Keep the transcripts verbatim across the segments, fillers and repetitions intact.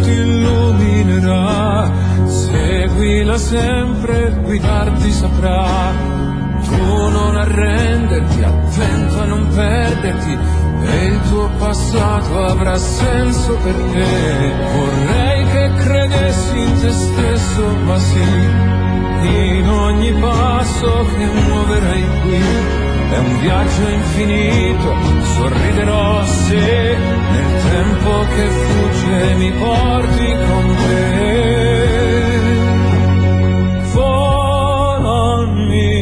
ti illuminerà. Seguila sempre, guidarti saprà. Tu non arrenderti, attento a non perderti, e il tuo passato avrà senso per te. Vorrei che credessi in te stesso, ma sì, in ogni passo che muoverai qui. È un viaggio infinito, sorriderò se nel tempo che fugge mi porti con te. Fall on me.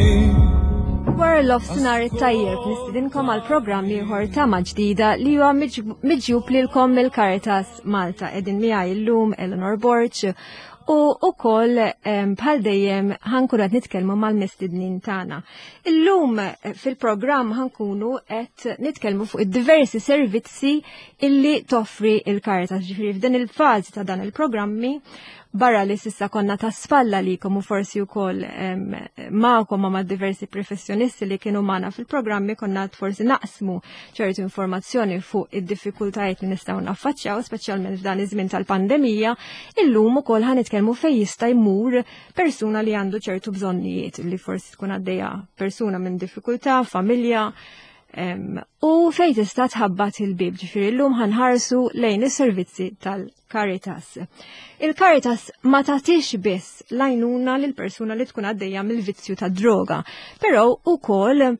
Wara l-nofsinhar it-tajjeb, nistidinkom għal programm ieħor Tama Ġdida li huwa miġjub lilkom mill-Caritas Malta. Qegħdin miegħi llum Eleanor Borg u ukoll bħal dejjem ħa nkunu qed nitkellmu mal-mistednin tagħna. Illum eh, fil-programm ħa nkunu qed nitkellmu fuq id-diversi servizzi illi toffri il-Caritas. Ġifieri f'dan il-fażi ta' dan il-programmi, barra li s'issa konna ta' spalla li u forsi ukoll magħkom ma' diversi professjonisti li kienu magħna fil-programmi, konna forsi naqsmu ċertu informazzjoni fuq id-diffikultajiet li nistgħu naffaċċjaw, speċjalment f'dan iż-żmien tal-pandemija, illum ukoll ħa nitkellmu fejn jista' jmur persuna li għandu ċertu bżonnijiet, li forsi tkun għaddejja persuna minn diffikultà, familja, u fejn tista' tħabbat il-bib. Ġifieri llum ħa nħarsu lejn is-servizzi tal-Caritas. Il-Caritas ma tagħtix biss l-għajnuna lil persuna li tkun għaddejja mill-vizzju ta' droga, però ukoll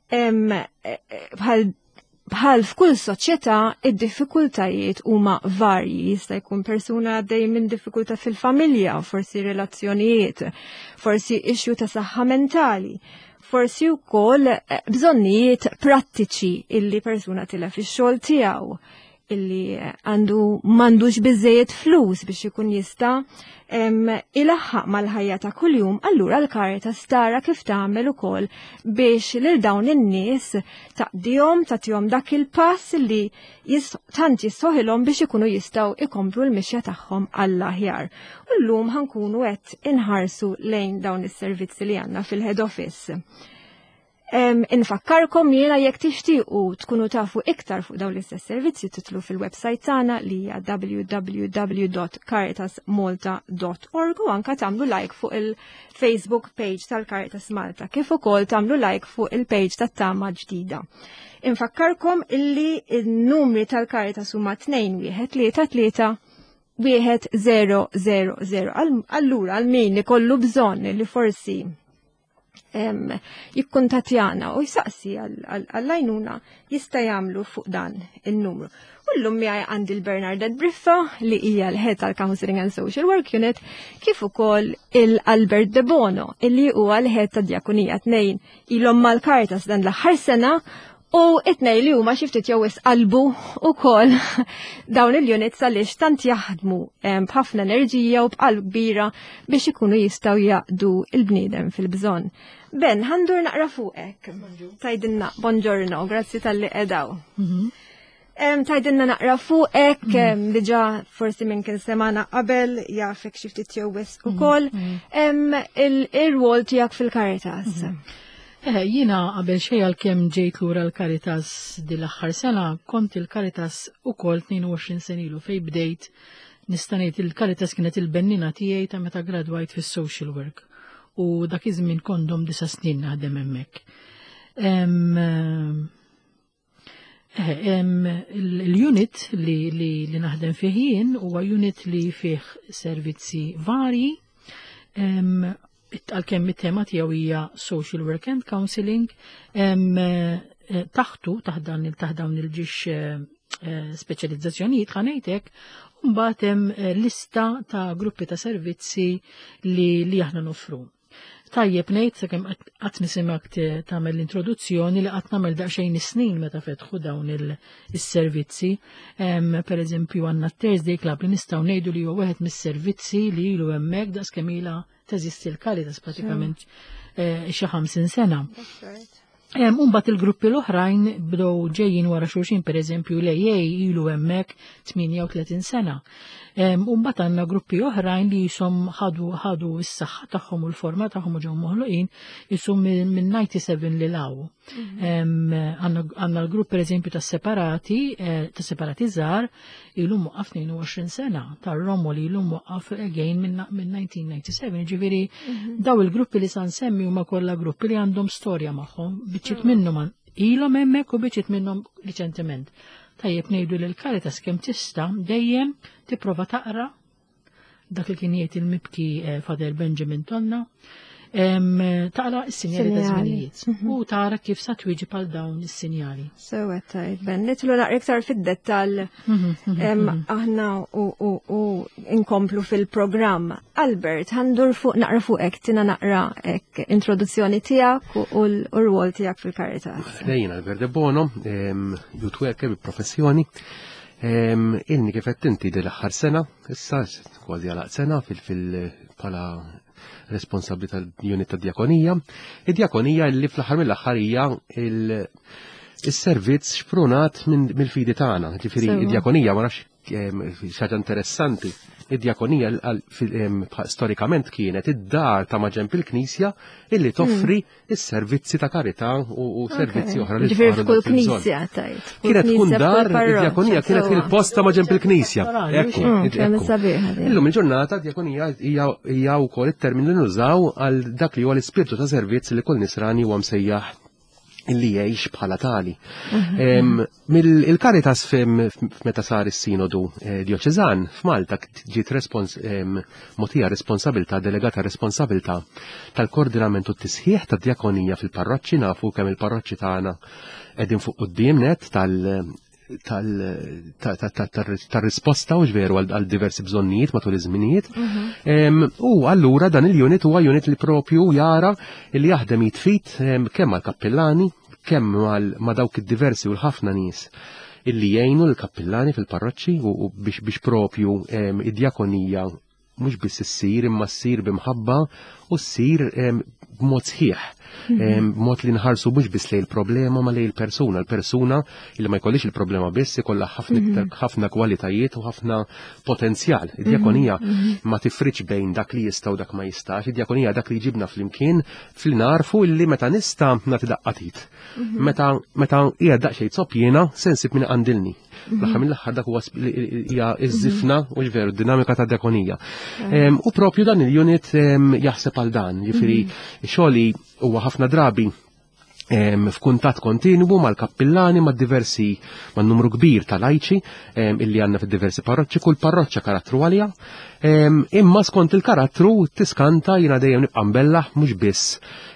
bħal bħal f'kull soċjetà id-diffikultajiet huma varji. Jista' jkun persuna għaddej minn diffikultà fil-familja, forsi relazzjonijiet, forsi issue ta' saħħa mentali, forsi wkoll eh, bżonnijiet prattiċi illi persuna tilef ix-xogħol tiegħu, illi għandu m'għandux biżejjed flus biex ikun jista' ilaħħaq mal-ħajja ta' kuljum, allura l-Caritas tara kif tagħmel ukoll biex lil dawn in-nies taqdihom, tagħtihom dak il-pass li tant jistħoqqilhom biex ikunu jistgħu ikomplu l-mixja tagħhom għall-aħjar. U llum ħa nkunu qed inħarsu lejn dawn is-servizzi li għandna fil-head office. Infakkarkom jiena, jekk tixtiequ tkunu tafu iktar fuq dawn l-istess servizzi, tidħlu fil-website tagħna li hija w w w dot caritasmalta dot org u anka tagħmlu like fuq il-Facebook page tal-Caritas Malta, kif ukoll tagħmlu like fuq il-page tat-Tama Ġdida. Infakkarkom illi il-numri tal-Caritas huma tnejn wieħed tlieta tlieta wieħed zero zero zero. Allura għal min ikollu bżonn li forsi jikkuntattjana u jsaqsi għall-għajnuna, jista' jagħmlu fuq dan il-numru. U llum miegħi għandi l-Bernadette Briffa, li hija l-Head tal-Counseling and Social Work Unit, kif ukoll il-Albert De Bono, illi huwa l-Head ta' Djakonija. Tnejn ilhom mal-Caritas dan l-aħħar sena u it-tnejn li huma xi ftit jew qalbu ukoll dawn il-units għaliex tant jaħdmu b'ħafna enerġija u b'qalb kbira biex ikunu jistgħu jaqdu il-bniedem fil-bżonn. Ben, ħa ndur naqra fuqek. Tgħidilna, buongiorno, grazzi talli qegħda hawn. Mhm. Tgħidilna naqra fuqek, mhm. diġà forsi minn kien semana qabel jafek xi ftit jew wisq mhm. ukoll, il-rwol tiegħek fil-Caritas. Eh, jiena qabel xejn, għalkemm ġejt lura l-Caritas dil-aħħar sena, kont il-Caritas ukoll tnejn u għoxrin sena ilu fej bdejt. Nista' ngħid il-Caritas kienet il-bennina tiegħi ta' meta gradwajt fis-social work u dak iż-żmien kont domt disa' snin naħdem hemmhekk. Eh, il-unit li, li, li naħdem fih jien huwa unit li fih servizzi varji, għalkemm it-tema tiegħu hija social work and counseling, eh, taħtu taħt dan taħt dawn il-ġiex eh, speċjalizzazzjonijiet, ħa ngħidlek, mbagħad hemm lista ta' gruppi ta' servizzi li, li aħna nofru. Tajjeb ngħid, sakemm qatt nisimgħek tagħmel l-introduzzjoni, li qatt nagħmel daqsxejn snin meta fetħu dawn is-servizzi. Per eżempju, għandna Thursday Club li nistgħu ngħidu li huwa wieħed mis-servizzi li ilu hemmhekk daqs kemm ilha teżisti l-Caritas, pratikament eh, xi ħamsin sena. Imbagħad il-gruppi l-oħrajn bdew ġejjin wara xulxin, per eżempju l-A A ilu hemmhekk tmienja u tletin sena. Imbagħad għandna gruppi oħrajn li jisom ħadu ħadu s-saħħa tagħhom u l-forma tagħhom u ġew moħluqin jisom minn disgħa u disgħin lil hawn. Għandna l-grupp, per eżempju, ta' separati, eh, ta' separati żgħar ilu mwaqqaf tnejn u għoxrin sena, tar-Romoli ilu mwaqqaf again minn elf disa' mija u disgħa u disgħin. Ġifieri daw il-gruppi li sa nsemmi huma kollha gruppi li għandhom storja magħhom, biċċiet minnhom ilhom hemmhekk u biċċiet minnhom riċentement. Tajjeb ngħidu li l-Caritas kemm tista' dejjem tipprova taqra dak li kien jgħid il-mibki eh, Father Benjamin Tonna, taqra s-sinjali ta' żminijiet mhm. u tara kif sa twieġeb għal dawn is-sinjali. Sewa tajt, Ben, nidħlu naqra iktar fid-dettall mhm, mhm, aħna u inkomplu fil-programm. Albert, ħa ndur fuq naqra fuqek, tina naqra ek introduzzjoni tiegħek u l-rwol tiegħek fil-Caritas. Lejn Albert De Bono, youth worker bi professjoni. Ilni kif qed inti l-aħħar sena, issa kważi għalaq sena fil bħala responsabbli tal-unit ta' djakonija. Id-djakonija li fl-aħħar mill-aħħar hija il-servizz xprunat mill-fidi tagħna. Ġifieri id-djakonija, ma nafx, xaġa interessanti. Id-djakonija storikament kienet id-dar ta' maġenb il-knisja illi toffri hmm. is-servizzi ta' karità u servizzi oħra li Ġifieri f'kull knisja tajt. Kienet tkun dar, id-djakonija kienet il-post ta' maġenb il-knisja. Ekku. Hmm, Illum il-ġurnata djakonija hija wkoll it-termin li nużaw għal dak li huwa l-ispirtu ta' servizz li kull nisrani huwa msejjaħ illi jgħix bħala tali. Mhm. Mill-Caritas meta sar is-sinodu eh, dioċeżan f'Malta ġiet mogħtija responsabilta, delegata responsabilta tal-koordinament u t-tisħiħ tad-djakonija fil-parroċċi. Nafu kemm il-parroċċi tagħna qegħdin fuq quddiem net tal tal-risposta u veru għal diversi bżonnijiet matul iż-żminijiet. Mhm. U allura dan il-unit huwa unit li propju jara li jaħdem id f'id kemm mal-kappillani, kemm ma' dawk id-diversi u l-ħafna nies illi jgħinu l-kappillani fil-parroċċi u biex biex propju id-djakonija mhux biss issir imma ssir b'imħabba u ssir b'mod sħiħ. Mhm. B'mod li nħarsu mhux biss lejn il-problema ma lejn il-persuna. Il-persuna li ma jkollix il-problema biss, ikollha ħafna mhm. ħafna kwalitajiet u ħafna potenzjal. Id-djakonija mhm. ma tifriċ bejn dak li jista' u dak ma jistax. Id-djakonija dak li jġibna flimkien fil narfu illi meta nista' nagħti daqqa t'id. Meta meta hija daqsxejn zopp jiena se nsib min għandilni. L-aħħar mill-aħħar dak huwa hija iż-żifna u ġveru dinamika ta' djakonija. U propju dan il-unit jaħseb għal dan, jiġifieri xogħli huwa ħafna drabi f'kuntatt kontinwu mal-kappillani, ma' diversi, ma' numru kbir ta' lajċi illi għandna fid-diversi parroċċi, kull parroċċa karattru għalija. Imma skont il-karattru tiskanta, jiena dejjem nibqa' mbellaħ mhux biss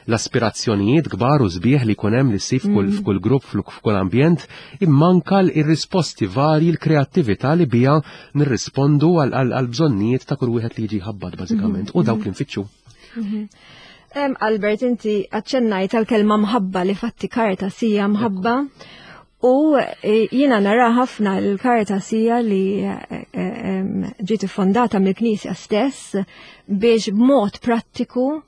l-aspirazzjonijiet kbar u sbieħ li jkun hemm li ssib f'kull mm. f'kull grupp, f'kull ambjent, imma anka ir-risposti varji, l-kreattività li bija nirrispondu għal bżonnijiet ta' kull wieħed li jiġi ħabbat bażikament u dawk li nfittxu. Mhm. Albert, inti aċċennajt għal-kelma mħabba, li fatti Caritas hija mħabba. U e, jiena nara ħafna l-Caritas hija li e, e, ġiet fondata mill-Knisja stess biex b'mod prattiku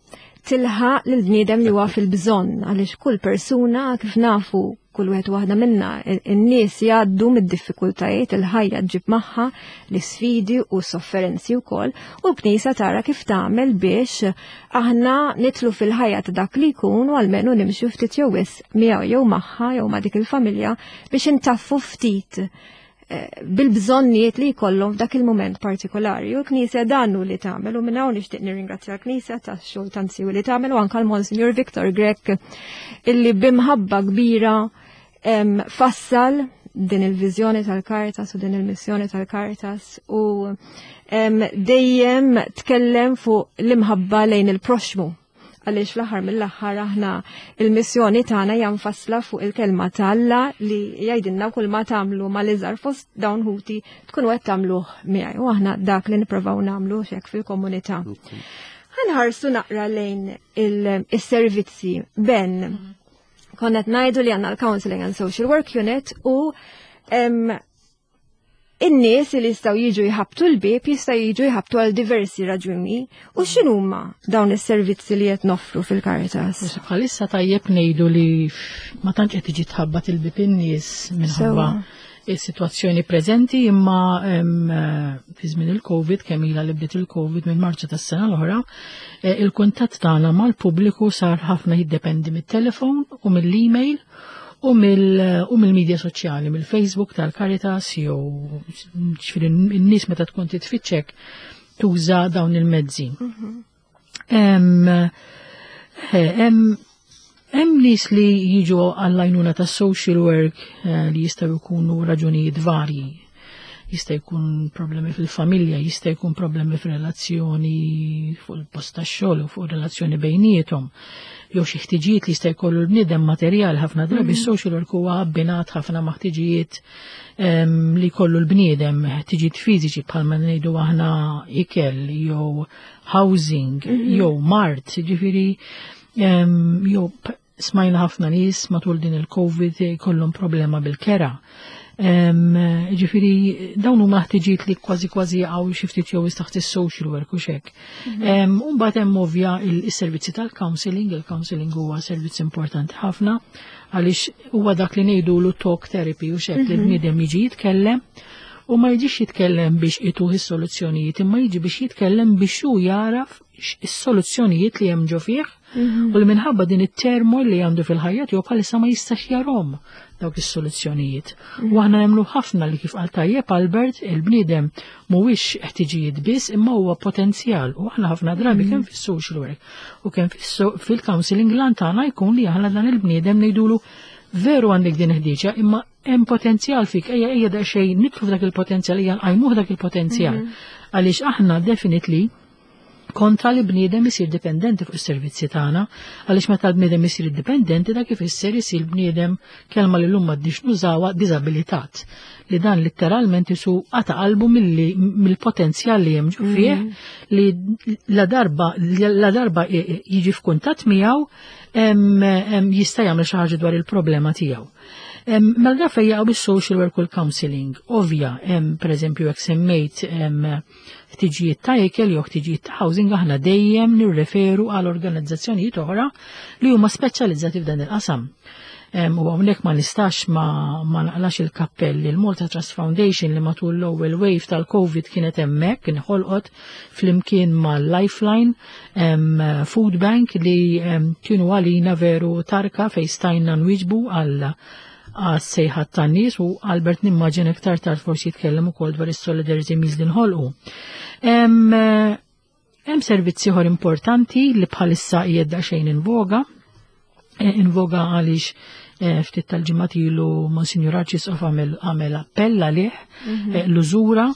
tilħaq lil bniedem li huwa fil-bżonn, għaliex kull persuna, kif nafu kull wieħed waħda minna, in-nies jgħaddu mid-diffikultajiet, il-ħajja ġib magħha l-isfidi u sofferenzi wkoll, u l-Knisja tara kif tagħmel biex aħna nidħlu fil-ħajja ta' dak li jkun u almenu nimxu ftit jew wisq miegħu jew magħha jew ma' dik il-familja biex intaffu ftit eh, bil-bżonnijiet li jkollhom f'dak il-moment partikolari. U l-Knisja dan hu li tagħmel, u minn hawn nixtieq nirringrazzja l-Knisja tax-xogħol tant siewi li tagħmel u anke l-Monsignor Victor Grech illi b'imħabba kbira em, fassal din il-viżjoni tal-Caritas u din il-missjoni tal-Caritas u em, dejjem tkellem fuq l-imħabba lejn il-proxmu, għaliex fl-aħħar mill-aħħar aħna il-missjoni tagħna hija mfassla fuq il-kelma ta' Alla li jgħidilna kull ma tagħmlu mal-iżgħar fost dawn ħuti tkunu qed tagħmluh miegħi, u aħna dak li nippruvaw nagħmlu xek fil-komunità. Ħa nħarsu naqra lejn il-servizzi. Ben, konna ngħidu li għandna l-Counseling and Social Work Unit u em, In-nies li jistgħu jiġu jħabtu l-bieb jistgħu jiġu jħabtu għal diversi raġuni. U x'inhuma dawn is-servizzi li qed noffru fil-Caritas? Bħalissa tajjeb ngħidu li ma tantx qed tiġi tħabbat il-bieb in-nies minħabba is-sitwazzjoni preżenti, imma fi żmien il-Covid, kemm ilha li bdiet il-Covid minn Marzu tas-sena l-oħra, il-kuntatt tagħna mal-pubbliku sar ħafna jiddependi mit-telefon u mill-email u mill-medja soċjali, mill-Facebook tal-Caritas, jew ġifieri n-nies meta tkun titfittxek tuża dawn il-mezzi. Hemm nies li jiġu għall-għajnuna ta' social work li jistgħu jkunu raġunijiet varji. Jista' jkun problemi fil-familja, jista' jkun problemi fil-relazzjoni fuq il-post tax-xogħol u fuq relazzjoni bejniethom, jew xi ħtiġijiet li jista' jkollu l-bniedem materjal. Ħafna drabi social work huwa abbinat ħafna ma' ħtiġijiet li jkollu l-bniedem, ħtiġijiet fiżiċi bħalma ngħidu aħna ikel jew housing jew mard, ġifieri jew smajna ħafna nies matul din il-Covid jkollhom problema bil-kera. Ġifieri dawn huma ħtiġijiet li kważi kważi jaqgħu xi ftit jew taħt is-social work u xek. U mbagħad hemm ovvja is-servizzi tal-counseling. Il-counseling huwa servizz importanti ħafna għaliex huwa dak li ngħidulu talk therapy u xek, li l-bniedem jiġi jitkellem u ma jiġix jitkellem biex ituh is-soluzzjonijiet, imma jiġi biex jitkellem biex hu jaraf is-soluzzjonijiet li hemm ġo fih u li minħabba din it-turmoil li għandu fil-ħajja tiegħu bħalissa ma jistax jarahom dawk is-soluzzjonijiet. U aħna nemmnu ħafna li kif qal tajjeb Albert, il-bniedem mhuwiex ħtiġijiet biss imma huwa potenzjal, u aħna ħafna drabi kemm fis-social work u kemm fil-counseling lan tagħna jkun li aħna dan il-bniedem ngħidulu veru għandek din ħdiġa imma hemm potenzjal fik, ejja ejja daqsxejn nidħlu f'dak il-potenzjal, ejja nqajmuh dak il-potenzjal. Għaliex aħna definitely kontra li bniedem isir dipendenti fuq is-servizzi tagħna, għaliex meta l-bniedem isir dipendenti dak ifisser isir bniedem, kelma li llum m'għadniex nużawha, diżabilitat, li dan letteralment isu qata qalbu mill-potenzjal li hemm ġo fih, li la darba la darba jiġi f'kuntatt miegħu jista' jagħmel xi ħaġa dwar il-problema tiegħu. Mela fejn jaqgħu bis-social work u l-counseling, ovvja, pereżempju jekk semmejt ħtiġijiet ta' ikel jew ħtiġijiet ta' housing, aħna dejjem nirreferu għal organizzazzjonijiet oħra li huma speċjalizzati f'dan il-qasam. U hawnhekk ma nistax ma, ma naqlax il-kappell il-Malta Trust Foundation li matul l-ewwel wave tal-Covid kienet hemmhekk, inħolqot flimkien mal-Lifeline Food Bank li kienu għalina veru tarka fejn stajna nwieġbu għal għas-sejħat tan-nies, u Albert nimmaġina iktar tard forsi jitkellem ukoll dwar is-solidarity meals li nħolqu. Hemm servizzi ieħor importanti li bħalissa qiegħed daqsxejn in voga, in voga għaliex ftit tal-ġimgħat ilu Monsignor Arċisqof għamel appell għalih, l-użura.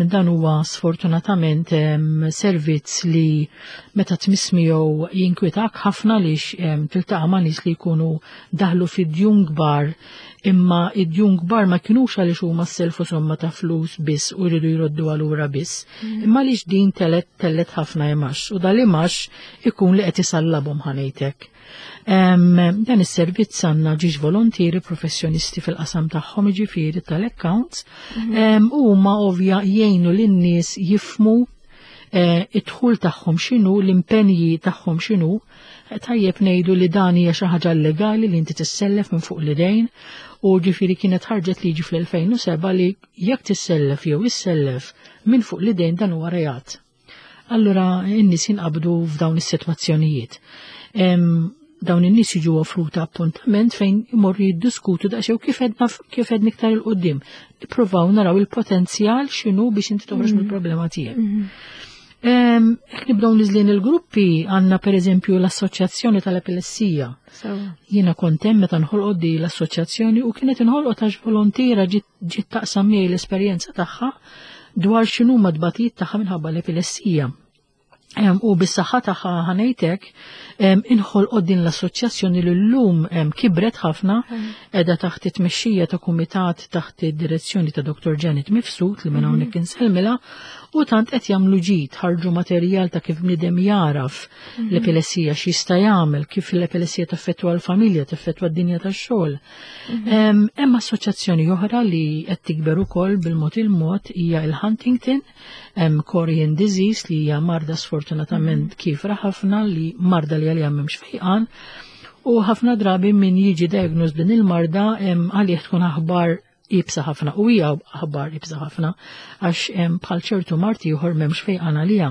Dan huwa sfortunatament servizz li meta tmiss miegħu jinkwitak ħafna għaliex tiltaqa' ma' nies li jkunu daħlu fid-djun kbar, imma id-djun kbar ma kinux għaliex huma selfu somma ta' flus biss u jridu jroddu għalura biss, imma għaliex din telet tellet ħafna imax, u dal-imax ikun li qed isallabhom ħanejtek. Dan is-servizz għandna ġiex volontieri professjonisti fil-qasam tagħhom, jiġifieri tal-accounts, u huma ovvja jgħinu lin-nies jifmu id-dħul tagħhom x'inhu, l-impenji tagħhom x'inhu. Tajjeb ngħidu li dan hija xi ħaġa legali li inti tissellef minn fuq l-idejn, u ġifieri kienet ħarġet liġi fl-elfejn u seba' li jekk tissellef jew issellef minn fuq l-idejn dan huwa reat. Allura n-nies jinqabdu f'dawn is-sitwazzjonijiet. Dawn in-nies jiġu offruta appuntament fejn imorru jiddiskutu daqsxejn kif edna kif edna iktar il quddiem. Nippruvaw naraw il-potenzjal x'inhu biex inti toħroġ mill-problema tiegħek. Jekk nibdew niżlin il-gruppi, għandna pereżempju l-Assoċjazzjoni tal-Epilessija. Jiena kont hemm meta nħolqot di l-assoċjazzjoni u kienet inħolqot għax volontiera ġiet taqsam miegħi l-esperjenza tagħha dwar x'inhuma tbatijiet tagħha minħabba l-epilessija. U bis-saħħa tagħha, ħa ngħidlek, inħolqot din l-assoċjazzjoni li llum kibret ħafna, qiegħda taħt it-tmexxija ta' kumitat taħt id-direzzjoni ta' Doktor Janet Mifsud, li minn hawnhekk insellmilha, u tant qed jagħmlu ġid, ħarġu materjal ta' kif bniedem jaraf l-epilessija, x'jista' jagħmel, kif l-epilessija taffettwa l-familja, taffettwa d-dinja tax-xogħol. Hemm assoċjazzjoni oħra li qed tikber ukoll bil-mod il-mod, hija il-Huntington Chorea Disease, li hija marda sfortunatament kiefra ħafna, li marda li għalija m'hemmx fejqan, u ħafna drabi min jiġi diagnosed din il-marda għalih tkun aħbar iebsa ħafna, u hija aħbar iebsa ħafna għax bħal ċertu mard ieħor m'hemmx fejqan għalija.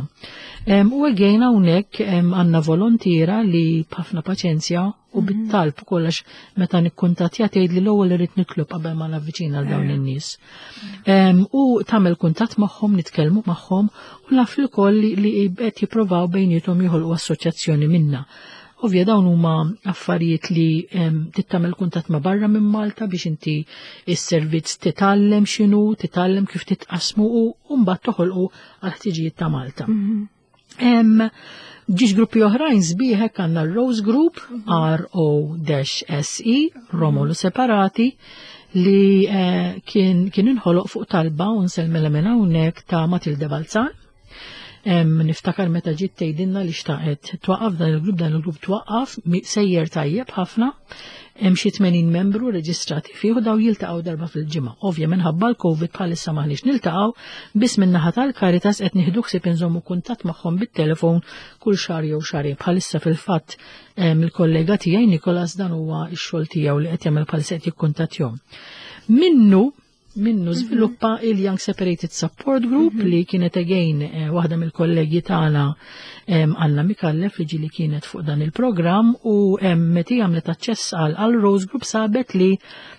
U again hawnhekk għandna volontiera li b'ħafna paċenzja u bit-talb kollox, meta nikkuntattja tgħid li l-ewwel irid nitlob qabel ma navviċina għal dawn in-nies. U tagħmel kuntatt magħhom, nitkellmu magħhom u naf ukoll li qed jippruvaw bejniethom joħolqu assoċjazzjoni minna. Ovvja dawn huma affarijiet li trid tagħmel kuntatt ma' barra minn Malta biex inti is-servizz titgħallem x'inhu, titgħallem kif titqasmu u mbagħad toħolqu għal ħtiġijiet ta' Malta. Żewġ gruppi oħrajn sbieħ għandna l-Rose Group, R O S E, Romolu Separati, li eh, kien kien inħoloq fuq talba, u nsellmilha minn hawnhekk, ta' Matilde Balzan. Niftakar meta ġiet tgħidilna li xtaqet twaqqaf dan il-grupp, dan il-grupp twaqqaf, sejjer tajjeb ħafna, hemm xi tmenin membru reġistrati fih u daw jiltaqgħu darba fil-ġimgħa. Ovvja minħabba l-Covid bħalissa maħniex niltaqgħu, biss min-naħa tal-Caritas qed nieħdu ħsieb inżommu kuntatt magħhom bit-telefon kull xahar jew xahrejn. Bħalissa fil-fatt il-kollega tiegħi Nikolas, dan huwa x-xogħol tiegħu li qed jagħmel bħalissa, qed jikkuntattjahom. Minnu minnu żviluppa il-Young Separated Support Group, li kienet again eh, waħda mill-kollegi tagħna, Anna Mikallef, li ġili kienet fuq dan il-programm, u meta għamlet aċċess għal Rose Group sabet li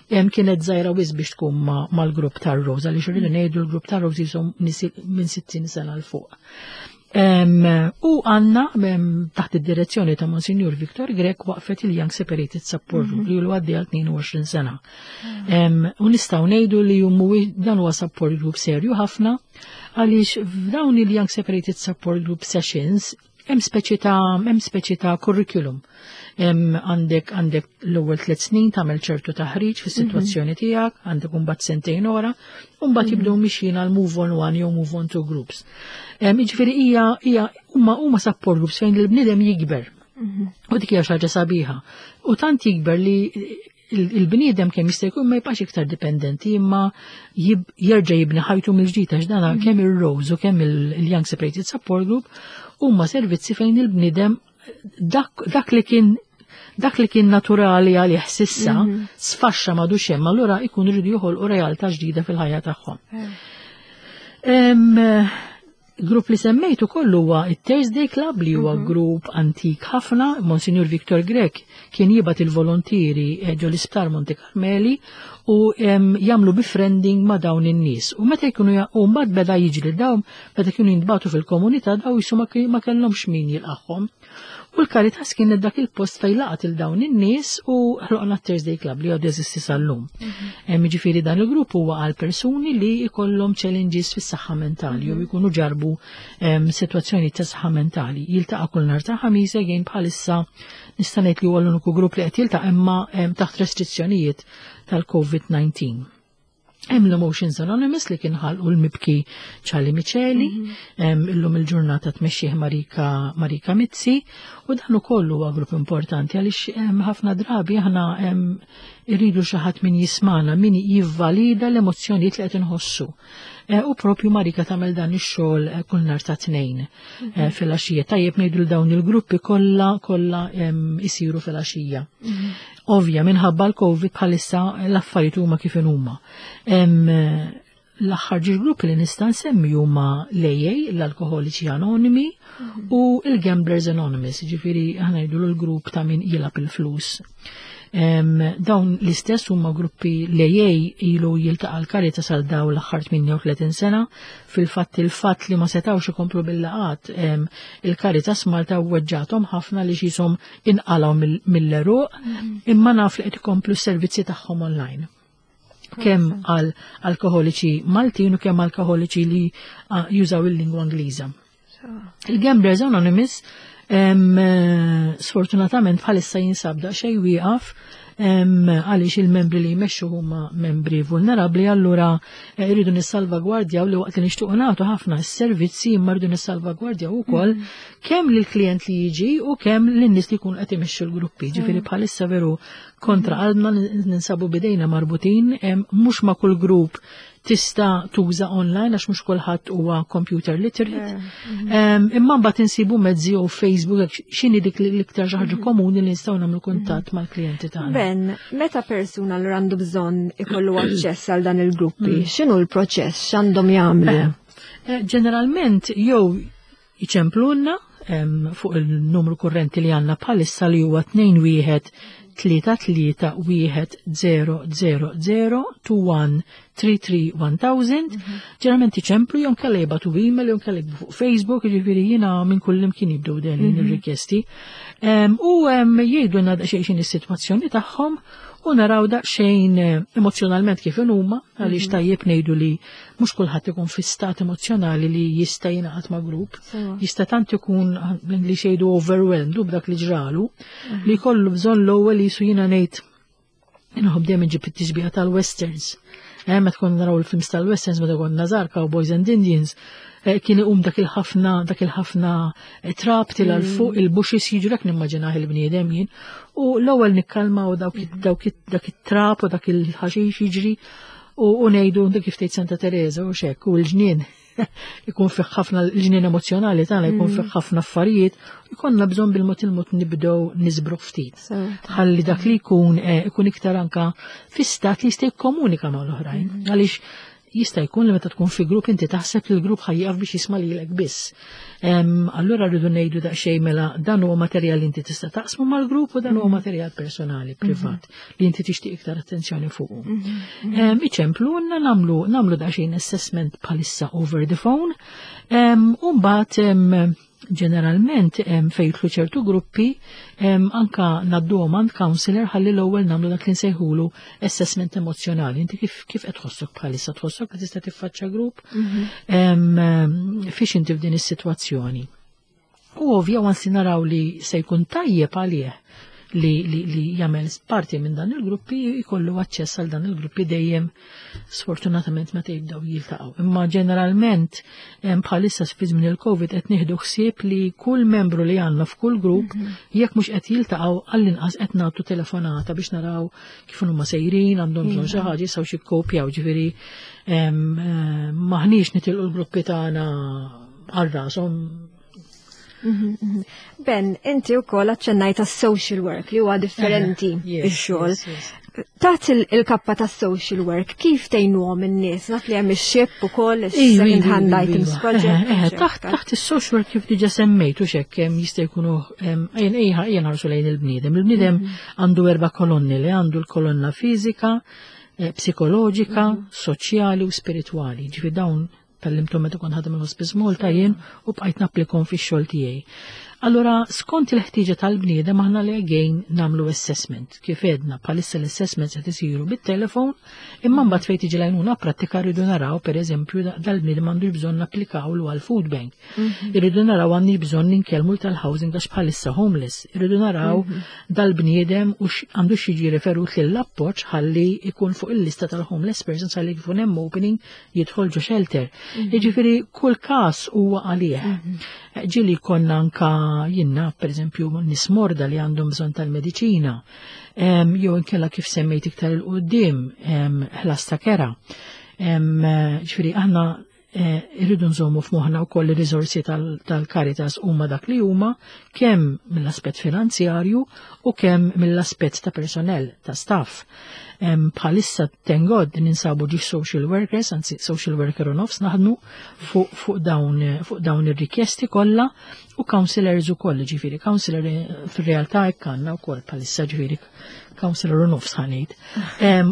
kienet żgħira wisq biex tkun mal-grupp tar-Rose, għaliex irridu ngħidu l-grupp tar-Rose jisom minn sittin sena 'l fuq. U għanna taħt id-direzzjoni ta' Monsignor Victor Grech waqfet il-Young Separated Support Group li għaddej għal tnejn u għoxrin sena. U nistgħu ngħidu li jummu dan huwa support group serju ħafna, għaliex f'dawn il-Young Separated Support Group sessions hemm speċi ta' hemm speċi ta' curriculum. Għandek għandek l-ewwel tliet snin tagħmel ċertu taħriġ fis-sitwazzjoni mhm. tiegħek, għandek imbagħad sentejn ora, u mbagħad jibdew mhm. mixjin għal move on one jew move on two groups. Jiġifieri hija hija huma huma support groups fejn il-bniedem jikber. Mhm. U dik hija xi ħaġa sabiħa. U tant jikber li il-bniedem kemm jista' jkun ma jibqax iktar dipendenti, imma jerġa' jibni ħajtu mill-ġdid, għax dana kemm ir-Rose u kemm il-Young Separated Support Group huma servizzi fejn il-bniedem dak, dak li kien dak li kien naturali għalih s'issa mm -hmm. sfaxxa, m'għadux hemm, allura ikun iridu joħolqu realtà ġdida fil-ħajja tagħhom. Grupp li semmejtu kollu huwa it-Thursday Club, li huwa mhm. grupp antik ħafna. Monsignor Victor Grech kien jibgħat il-volontieri eh, ġo l-Isptar Monte Carmeli u jagħmlu befriending ma' dawn in-nies. U meta jkunu u mbagħad beda jiġri dawn meta kienu jintbagħtu fil-komunità, daw jisu ma kellhomx min jilqagħhom. U l-Caritas kien dak il-post fejn laqat il dawn in-nies u ħloqna Thursday Club li għadu jeżisti sal-lum. Mhm. Ġifieri dan il-grupp huwa għal persuni li jkollhom challenges fis-saħħa mentali jew mhm. jkunu ġarbu sitwazzjoni ta' saħħa mentali. Jiltaqa' kull nhar ta' Ħamis, again bħalissa nista' ngħid li huwa l-uniku grupp li qed jiltaqa', imma taħt restrizzjonijiet tal-Covid nineteen. Hemm l-Emotions Anonymous li kien ħalqu l-mibki Charlie Miceli, mhm. illum il-ġurnata tmexxih Marika, Marika Mizzi, u dan ukoll huwa grupp importanti għaliex ħafna drabi aħna irridu xi ħadd min jismana, min jivvalida l-emozzjonijiet li qed inħossu. E, u propju Marika tagħmel dan ix-xogħol eh, kull nhar ta' Tnejn eh, mhm. fil-għaxija. Tajjeb ngħidu dawn il-gruppi kollha kollha isiru fil-għaxija. Mhm. Ovvja, minħabba l-Covid bħalissa l-affarijiet huma kif huma. L-aħħar żewġ gruppi li nista' nsemmi huma l-A A, l-Alkoholiċi Anonimi, mhm. u il-Gamblers Anonymous, ġifieri aħna ngħidu l-grupp ta' min jilgħab il-flus. Dawn l-istess huma gruppi, l-A A ilu jiltaqa' l-Caritas għal daw l-aħħar tmienja u tletin sena. Fil-fatt il-fatt li ma setawx ikomplu bil-laqat, il-Caritas Malta weġġathom ħafna li qieshom inqalgħu mill-għeruq, mhm. imma naf li qed ikomplu s-servizzi tagħhom online, kemm għal alkoholiċi Maltin u kemm alkoholiċi li jużaw il-lingwa Ingliża. Il-Gamblers Anonymous em, sfortunatament bħalissa jinsab daqsxejn wieqaf em, għaliex il-membri li jmexxu huma membri vulnerabbli, allura eh, irridu nissalvagwardjaw li waqt li nixtiequ nagħtu ħafna s-servizzi imma rridu nissalvagwardjaw ukoll kemm lill-klient li jiġi u kemm lin-nies li jkunu qed imexxu l-gruppi. Ġifieri bħalissa veru kontra qalbna ninsabu bidejna marbutin, em, mhux ma' kull grupp tista' tuża online għax mhux kulħadd huwa computer literate. Em, Imma mbagħad insibu mezzi u Facebook hekk x'inhi dik l-iktar xi ħaġa komuni li nistgħu nagħmlu kuntatt mal-klijenti tagħna. Ben, meta persuna li għandu bżonn ikollu aċċess għal dan il-gruppi, x'inhu l-proċess, x'għandhom jagħmlu? Eh, Ġeneralment jew iċemplunna em, fuq il-numru kurrenti li għandna bħalissa li huwa tnejn wieħed tlieta tlieta wieħed zero zero zero two one three three one thousand. Ġeneralment iċemplu jew inkella jibagħtu email jew inkella jiktbu fuq Facebook, jiġifieri jiena minn kull imkien jibdew deħlin ir-rikjesti. Em, U em, jgħidulna daqsxejn x'inhi is-sitwazzjoni tagħhom u naraw daqsxejn eh, emozjonalment kif huma, għaliex tajjeb ngħidu li mhux kulħadd ikun fi stat emozjonali li jista' jingħaqad ma' grupp. Sewa. Jista' tant ikun li xejdu overwhelmed u b'dak li ġralu li jkollu bżonn l-ewwel jisu jiena ngħid inħobb dejjem inġib it-tixbiha tal-westerns. Eh, meta konna naraw il-films tal-westerns meta konna żgħar Cowboys and Indians, eh, kien iqum dak il-ħafna dak il-ħafna eh, trab tila 'l fuq il-bushes jiġu dak nimmaġinah il-bniedem jien. U l-ewwel nikkalmaw dawk dawk dak it-trab u dak il-ħaxix jiġri u u ngħidu dik kif tgħid Santa Teresa u xek u l-ġnien ikun fih ħafna l-ġnien emozjonali tagħna jkun fih ħafna affarijiet, ikollna bżonn bil-mod il-mod nibdew niżbru ftit. Sewa. Ħalli dak li jkun eh, ikun iktar anka fi stat li jista' jikkomunika mal-oħrajn. Għaliex jista' jkun li meta tkun fi grupp inti taħseb li l-grupp ħa jieqaf biex jisma' lilek biss. Em, Allura rridu ngħidu daqsxejn mela dan huwa materjal li inti tista' taqsmu mal-grupp u dan huwa materjal personali, privat, li inti tixtieq iktar attenzjoni fuqu. Em, Iċemplu nagħmlu nagħmlu daqsxejn assessment bħalissa over the phone. Em, U mbagħad em, ġeneralment em, fejn jidħlu ċertu gruppi em, anka ngħadduhom għand counselor ħalli l-ewwel nagħmlu dak li nsejħulu assessment emozjonali. Inti kif kif qed tħossok bħalissa tħossok li tista' tiffaċċja grupp? Em, em, Fiex inti f'din is-sitwazzjoni? U ovvja once li naraw li se jkun tajjeb għalih li, li, li jagħmel parti minn dan il-gruppi jkollu aċċess għal dan il-gruppi dejjem sfortunatament meta jibdew jiltaqgħu. Imma ġeneralment em, bħalissa fi żmien il-Covid qed nieħdu ħsieb li kull membru li għandna f'kull grupp jekk mhux qed jiltaqgħu għall-inqas qed nagħtu telefonata biex naraw kif huma sejrin, għandhom bżonn xi ħaġa jistgħu xi kkopjaw ġifieri em, eh, maħniex nitilqu l-gruppi tagħna għal rashom. Ben, inti wkoll aċċennajt social work li huwa differenti Yes, ix-xogħol. yes, yes. Taħt il- il-kappa ta' social work, kif tgħinuhom in-nies? Naf li hemm ix-SHIP ukoll, Iva, is-Second iva, Hand iva, Items iva. Project. Eh, eh, Taħt taħt is-social work kif diġa semmejtu xek em, jista' jkunu em, ejn ejja ejja nħarsu lejn il-bniedem. Il-bniedem għandu erba' kolonni li għandu l-kolonna fiżika, eh, psikoloġika, soċjali u spiritwali. Ġifi dawn tgħallimthom meta kont ħadem il-Hospice Malta jien u bqajt napplikhom fix-xogħol tiegħi. Allura, skont il-ħtieġa tal-bniedem aħna li again nagħmlu assessment. Kif edna, bħalissa l-assessment se isiru bit-telefon, imma mbagħad fejn tiġi l-għajnuna prattika rridu naraw, pereżempju, da- dal-bniedem għandu bżonn napplikawlu għal food bank. Irridu naraw għandi bżonn ninkellmu tal-housing għax bħalissa homeless. Irridu naraw dal-bniedem u x- għandu jiġi referut lill-appoġġ ħalli ikun fuq il-lista tal-homeless persons ħalli jkun hemm opening jidħol ġo shelter. Jiġifieri kull każ huwa għalih. Ġieli konna anka jiena, per eżempju, nies morda li għandhom bżonn tal-mediċina, em, jew inkella kif semmejt iktar 'il quddiem, em, ħlas ta' kera. Em, Ġifieri aħna eh, irridu nżommu f'moħħna wkoll ir-riżorsi tal- tal-Caritas huma dak li huma kemm mill-aspett finanzjarju u kemm mill-aspett ta' personnel, ta' staff. Em, Bħalissa thank God ninsabu ġi social workers, anzi social worker u nofs naħdmu fuq fuq dawn fuq dawn ir-rikjesti kollha u counselors ukoll, ġifieri counselor eh, fir-realtà hekk għandna wkoll bħalissa ġifieri counselor u nofs ħa ngħid.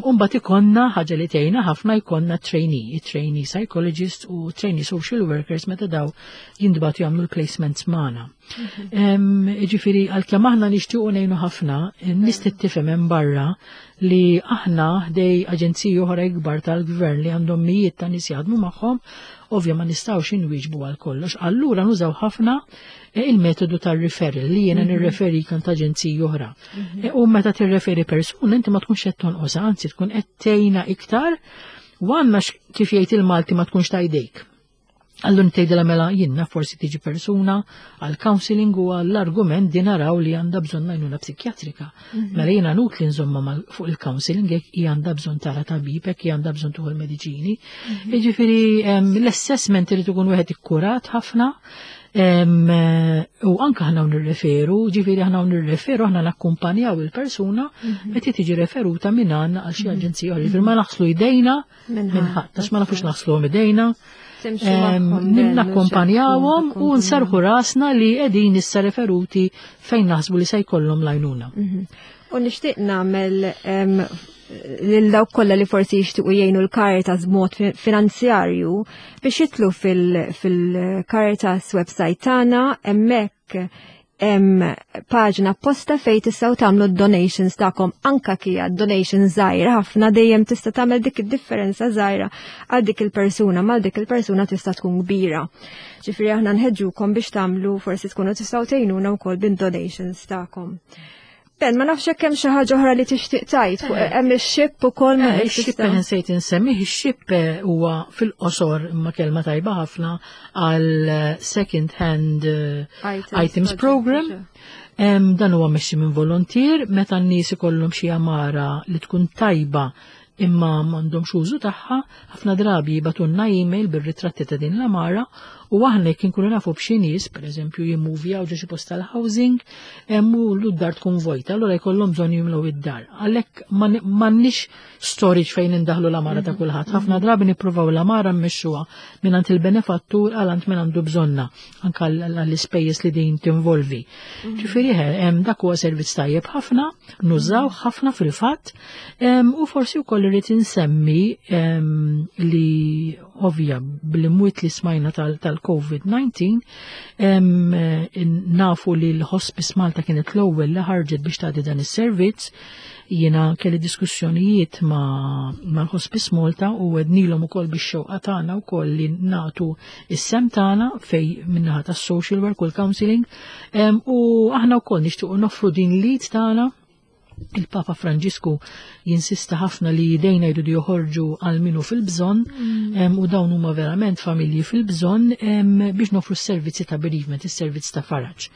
U mbagħad ikollna ħaġa li tgħinna ħafna jkollna trainee, trainee psychologist u trainee social workers meta daw jintbagħtu jagħmlu l-placements magħna. Em, Ġifieri għalkemm aħna nixtiequ ngħinu ħafna, n-nies tifhem hemm barra li aħna ħdejn aġenziji oħra ikbar tal-gvern li għandhom mijiet ta' nies jaħdmu magħhom, ovvja ma nistgħux inwieġbu għal kollox. Allura nużaw ħafna eh, il-metodu tal-referral li jiena nirreferi kan ta' aġenziji oħra. Eh, U meta tirreferi persuna inti ma tkunx qed tonqosha, anzi tkun qed tgħinha iktar u għandna x- kif jgħid il-Malti ma tkunx ta' jdejk. Allura tgħidilha mela jiena forsi tiġi persuna għal counseling u għall-argument din naraw li għandha bżonn għajnuna psikjatrika. Mela jiena nut li nżomma mal- fuq il-counseling jekk hi għandha bżonn tara tabib, jekk hi għandha bżonn tieħu l-mediċini. Jiġifieri em, l-assessment irid ikun wieħed ikkurat ħafna. Em, eh, u anka aħna nirreferu, ġifieri aħna nirreferu, aħna nakkumpanjaw il-persuna meta tiġi referuta minn għandna għal xi aġenzija oħra. Ġifieri ma naħslu idejna Minn minn ħadd, ħadd, għax ma nafux naħsluhom idejna. Timxu Em, magħhom ben, Nakkumpanjawhom u mhux nsarħu rasna li qegħdin issa referuti fejn naħsbu li se jkollhom l-għajnuna. U nixtieq nagħmel em, lil dawk kollha li forsi jixtiequ jgħinu l-Caritas b'mod fi- finanzjarju biex jidħlu fil- fil-Caritas website tagħna hemmhekk hemm paġna apposta fejn tistgħu tagħmlu donations tagħkom anka kija donation żgħira ħafna dejjem tista' tagħmel dik id-differenza żgħira għal dik il-persuna mal dik il-persuna tista' tkun kbira. Ġifieri aħna nħeġġukom biex tagħmlu forsi tkunu tistgħu tgħinuna wkoll bin-donations tagħkom. Ben, ma nafx hekk hemm xi ħaġa oħra li tixtieq tgħid fuq hemm ix-SHIP ukoll ma Eh, Ix-SHIP nsejt insemmi, ix-SHIP eh, huwa fil-qosor imma kelma tajba ħafna għal eh, second hand eh, items program. Em, Dan huwa mexxi minn volontier meta n-nies ikollhom xi għamara li tkun tajba imma m'għandhomx użu tagħha, ħafna drabi jibagħtulna email bir-ritratti ta' din l-għamara u aħna jekk inkunu nafu b'xi nies, pereżempju jimmuvjaw ġo xi post tal-housing, hemm u l-dar tkun vojta, allura jkollhom bżonn jimlew id-dar. Għalhekk m'għandniex storage fejn indaħlu l-għamara ta' kulħadd. Ħafna drabi nippruvaw l-għamara mmexxuha mingħand il-benefattur għal għand min għandu bżonna, anke għall-ispejjeż li din tinvolvi. Ġifieri hemm dak huwa servizz tajjeb ħafna, nużaw ħafna fil-fatt, em, u forsi wkoll irrid insemmi em, li ovvja bl-imwiet li smajna tal-COVID disa em, eh, nafu li l-Hospice Malta kienet l-ewwel li ħarġet biex tagħti dan is-servizz. Jiena kelli diskussjonijiet ma' mal-Hospice Malta u għednilhom ukoll biex xewqa tagħna wkoll li nagħtu is-sehem tagħna fej min-naħa tas-social work u l-counseling em, u aħna wkoll nixtiequ noffru din l-id tagħna. Il-Papa Franġisku jinsista ħafna li idejna jridu joħorġu għal min hu fil-bżonn em, u dawn huma verament familji fil-bżonn em, biex nofru s-servizzi ta' bereavement, is-servizz ta' faraġ.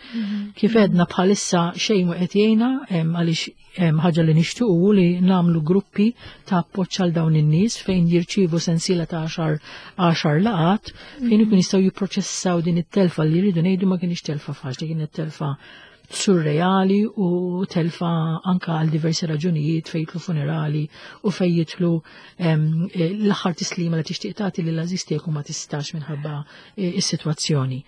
Kif għedna bħalissa xejn ma qed jgħinna em, għaliex em, ħaġa li nixtiequ li nagħmlu gruppi ta' appoġġ għal dawn in-nies fejn jirċievu sensiela ta' għaxar għaxar laqat fejn ikun jistgħu jipproċessaw din it-telfa li jridu ngħidu ma kienx telfa faċli, kienet telfa surreali u telfa anka għal diversi raġunijiet fejn jidħlu funerali u fejn jidħlu em, eh, l-aħħar tislima li tixtieq tagħti lil għażiż tiegħek u ma tistax minħabba eh, is-sitwazzjoni.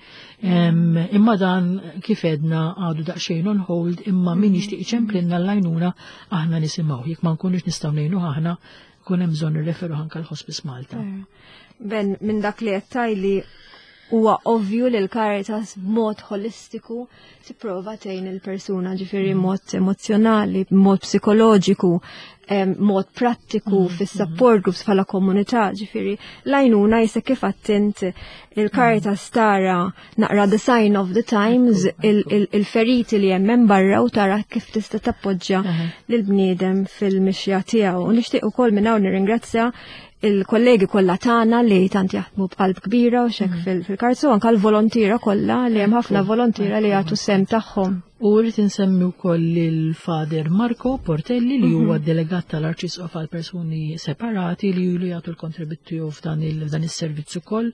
Em, Imma dan kif għedna għadu daqsxejn on hold imma min jixtieq iċemplinna l-għajnuna aħna nisimgħu. Jekk ma nkunux nistgħu ngħinu aħna kun hemm bżonn nirreferu anka l-Hospice Malta. Ben, minn dak li qed li huwa ovvju li l-Caritas b'mod holistiku tipprova tgħin il-persuna, ġifieri mod emozjonali, mod psikoloġiku, em, mod prattiku fis-support groups bħala komunità, ġifieri l-għajnuna jisa kif attint il-Caritas tara naqra the sign of the times, il- il- il-feriti li hemm hemm barra u tara kif tista' tappoġġja lil bniedem fil-mixja tiegħu. U nixtieq ukoll minn hawn nirringrazzja il-kollegi kollha tagħna li tant jaħdmu b'qalb kbira u xek fil-karzu anke l-volontiera kollha li hemm ħafna volontiera li jagħtu sehem tagħhom. U rrid insemmi wkoll il-Father Marco Portelli li huwa delegat tal-Arċisqof għal persuni separati li ilu jagħtu l-kontribut tiegħu f'dan il- f'dan is-servizz ukoll